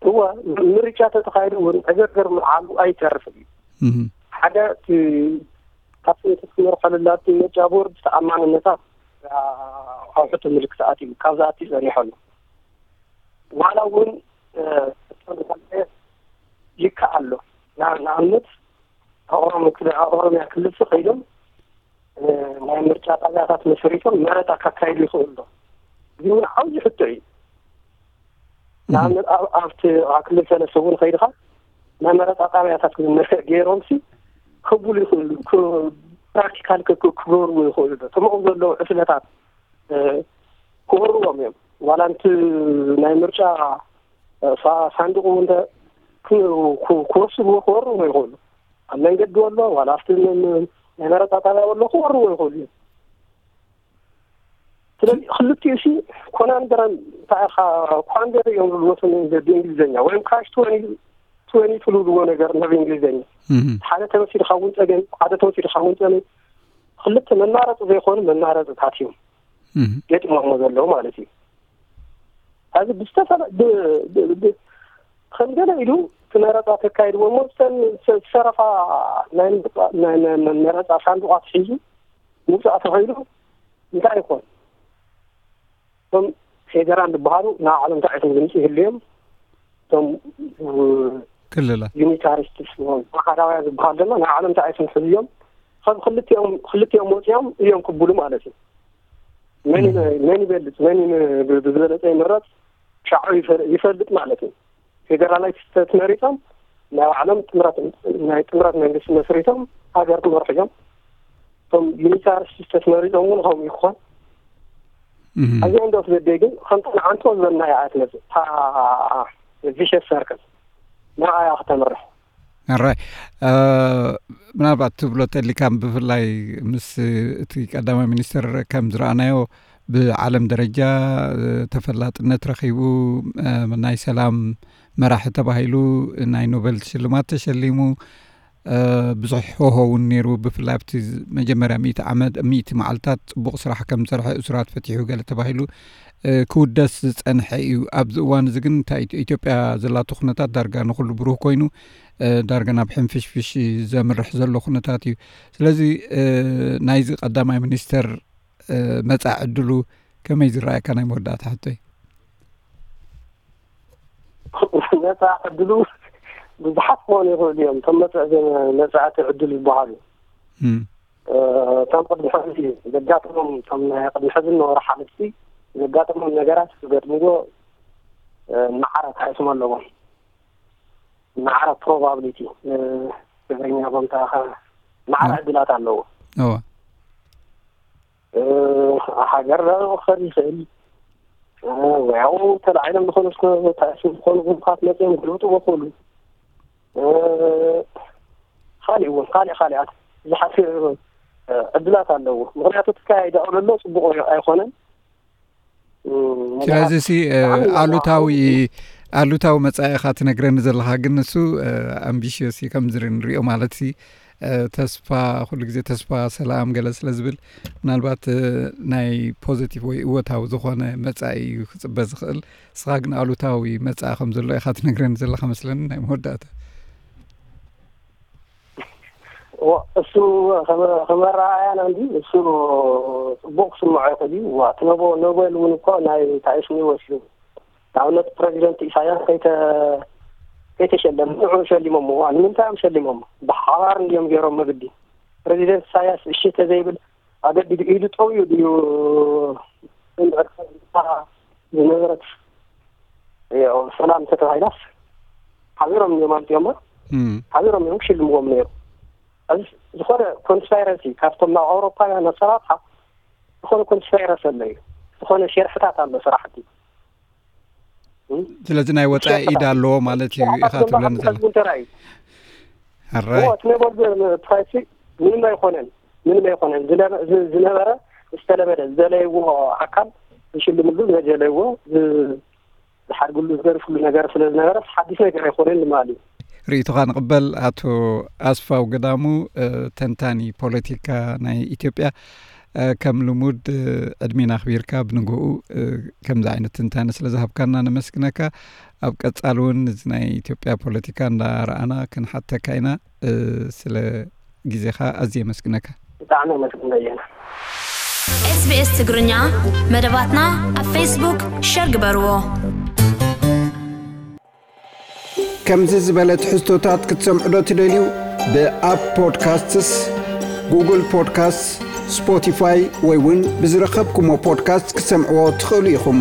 እወ ምርጫ ተተኻይዱ እውን ዕግርግር ምዓሉ ኣይተርፍን እዩ። ሓደ እቲ ካብ ስንተት ክመርሖ ለላቲ ምርጫ ቦርድ ተኣማንነታት ኣብ ሕቶ ምልክት ኣትዩ ካብዚ ኣትዩ ጸኒሖ ኣሎ። ዋላ እውን ይከኣል ኣሎ። ንኣብነት ኣብ ኦሮሚያ ክልል ከይዶም ናይ ምርጫ ጣብያታት መስሪቶም መረፃ ካካይዱ ይኽእሉ ዶ? እዚ እውን ዓብዪ ሕቶ እዩ። ንኣብነት ኣብቲ ክልል ሰለስተ እውን ከይድኻ ናይ መረፃ ጣብያታት ገይሮም ሲ ክብሉ ይኽእሉ፣ ፕራክቲካል ክገብርዎ ይኽእሉ ዶ? እቶም ኣብኡ ዘለዉ ዕስለታት ክወርዎም እዮም። ዋላ ንቲ ናይ ምርጫ ሳንዱቕ እውን ክወስድዎ ክወርዎ ይኽእሉ። ኣብ መንገዲ ወሎ ዋላ ኣብቲ ናይ መረፃ ጣብያ ወሎ ክወርዎ ይኽእሉ እዮም። ስለዚ ክልቲኡ ሲ ኮናንደረን እንታይ ኢኻ ኳንደር እዮም ዝብልዎ ብእንግሊዝኛ ወይም ካሽ ትወኒ ትልብልዎ ነገር ናብ እንግሊዝኛ ሓደ ተመሲልካ እውን ፀገም ሓደ ተመሲልካ እውን ፀገም ክልተ መማረፂ ዘይኮኑ መማረፅታት እዮም ገጢሞሞ ዘለዉ ማለት እዩ። ሕዚ ብዝተፈለ ከም ገለ ኢሉ እቲ መረፃ ተካይድዎ እሞ ዝተረፋ ናይ መረፃ ሳንዱቓት ሒዙ ምውፃእ ተኸይሉ እንታይ ይኾን? እቶም ፌደራል ዝበሃሉ ናይ ዓለም እንታይ ዓይነት ድምፂ ይህልዮም? እቶም ክልላት ዩኒታሪስትስ ኣሃዳውያን ዝበሃል ድማ ናይ ዓለም እንታይ ዓይነት ሕዝዮም ካብ ክልቲኦም ክልቲኦም ወፂኦም እዮም ክብሉ ማለት እዩ። መን መን ይበልፅ መን ብዝበለፀ ይምረፅ ሻዑ ይፈልጥ ማለት እዩ። ፌደራላይት ስቴት መሪፆም ናይ ባዕሎም ጥምረት ናይ ጥምረት መንግስቲ መስሪቶም ሃገር ክመርሑ እዮም። እቶም ዩኒታር ስቴት መሪፆም እውን ከምኡ ይኾን። ኣብዚ እንዶ ስደደይ ግን ከምቲ ንዓንቶ ዝበልና እያ ትመፅእ እታ ቪሸስ ሰርክል ንዓያ ክተምርሕ። ኣራይ ምናልባት ትብሎ ተሊካ ብፍላይ ምስ እቲ ቀዳማይ ሚኒስትር ከም ዝረኣናዮ ብዓለም ደረጃ ተፈላጥነት ረኺቡ ናይ ሰላም መራሒ ተባሂሉ ናይ ኖበል ሽልማት ተሸሊሙ ብዙሕ ሆሆ እውን ነይሩ። ብፍላይ ኣብቲ መጀመርያ ሚእቲ ዓመት ሚእቲ መዓልታት ፅቡቕ ስራሕ ከም ዝሰርሐ እሱራት ፈቲሑ ገለ ተባሂሉ ክውደስ ዝፀንሐ እዩ። ኣብዚ እዋን እዚ ግን እንታይ ኢትዮጵያ ዘላቶ ኩነታት ዳርጋ ንኩሉ ብሩህ ኮይኑ ዳርጋ ናብ ሕንፍሽፍሽ ዘምርሕ ዘሎ ኩነታት እዩ። ስለዚ ናይዚ ቀዳማይ ሚኒስተር መጻኢ ዕድሉ ከመይ ዝረኣየካ ናይ መወዳእታ ሕቶይ? መጻኢ ዕድሉ ብዙሓት ክኾኑ ይኽእሉ እዮም። እቶም መጻኢ መጻእቲ ዕድል ዝበሃሉ እቶም ቅድሚ ሕዚ ዘጋጠሞም እቶም ናይ ቅድሚ ሕዚ ነበሩ ሓለፍቲ ዘጋጠሞም ነገራት ክገጥምዎ ማዕረ ታይስም ኣለዎም። ማዕረ ፕሮባብሊቲ ትግርኛ ቦምታ ማዕረ ዕድላት ኣለዎ። እወ ሃገር ክኸድ ይኽእል ወይ ኣብኡ ተላዒሎም ዝኾኑ ታይስም ዝኾኑ ጉንፋት መፅኦም ክልውጥዎ ክእሉ። ካሊእ እውን ካሊእ ካሊኣት ብዙሓት ዕድላት ኣለዎ። ምክንያቱ ተካያይዳ ኣሎ ፅቡቅ ኣይኮነን። ስለዚ ሲ ኣሉታዊ ኣሉታዊ መጻኢኻ ትነግረኒ ዘለኻ ግን ንሱ ኣምቢሽዮስ እዩ ከምዚ ንሪኦ ማለት ሲ ተስፋ ኩሉ ግዜ ተስፋ ሰላም ገለ ስለ ዝብል ምናልባት ናይ ፖዚቲቭ ወይ እወታዊ ዝኾነ መጻኢ እዩ ክጽበ ዝኽእል። ንስኻ ግን ኣሉታዊ መጻኢ ከም ዘሎ ኢኻ ትነግረኒ ዘለኻ መስለኒ ናይ መወዳእታ። እሱ ከመራኣያ ነው እንጂ እሱ ፅቡቅ ክስምዖ ይኽእል እዩ። እቲ ኖቤል እውን እኮ ናይ ታይስኒ ወሲዱ ንኣብነት ፕሬዚደንት ኢሳያስ ከይተሸለመ ንዑ ሸሊሞምዎ። ንምንታይ እዮም ሸሊሞም? ብሓባር እንዲዮም ገይሮም መግዲ ፕሬዚደንት ኢሳያስ እሺ ተዘይብል ኣገዲዱ ኢዱ ጠውዩ ድዩ ዝነበረት ሰላም ተተባሂላስ ሓቢሮም እዮም ኣምፅኦማ። ሓቢሮም እዮም ክሽልምዎም ነይሩ። እዚ ዝኾነ ኮንስፓይረሲ ካብቶም ናብ ኣውሮፓውያን ኣሰራርሓ ዝኾነ ኮንስፓይረሲ ኣሎ እዩ። ዝኾነ ሸርሕታት ኣሎ ስራሕቲ። ስለዚ ናይ ወፃኢ ኢድ ኣለዎ ማለት እዩ ኢኻ ትብለኒ ዘሎ። ሕራይ እቲ ነበሩ ፕራይሲ ምንም ኣይኮነን፣ ምንም ኣይኮነን። ዝነበረ ዝተለመደ ዝደለይዎ ኣካል ዝሽልምሉ ዝደለይዎ ዝሓድግሉ ዝገርፍሉ ነገር ስለ ዝነበረ ሓዲስ ነገር ኣይኮነን ማለት እዩ። ርእይቶኻ ንቕበል። ኣቶ ኣስፋው ገዳሙ ተንታኒ ፖለቲካ ናይ ኢትዮጵያ፣ ከም ልሙድ ዕድሜና ኣኽቢርካ ብንግኡ ከምዚ ዓይነት ትንታነ ስለ ዝሃብካና ነመስግነካ። ኣብ ቀጻሊ እውን እዚ ናይ ኢትዮጵያ ፖለቲካ እንዳረኣና ክንሓተካ ኢና። ስለ ግዜኻ ኣዝየ የመስግነካ። ብጣዕሚ ኣመስግን በየነ። ኤስቢኤስ ትግርኛ መደባትና ኣብ ፌስቡክ ሸር ግበርዎ። ከምዚ ዝበለ ትሕዝቶታት ክትሰምዑ ዶ ትደልዩ? ብኣፕ ፖድካስትስ፣ ጉግል ፖድካስት፣ ስፖቲፋይ ወይ እውን ብዝረኸብኩሞ ፖድካስት ክትሰምዕዎ ትኽእሉ ኢኹም።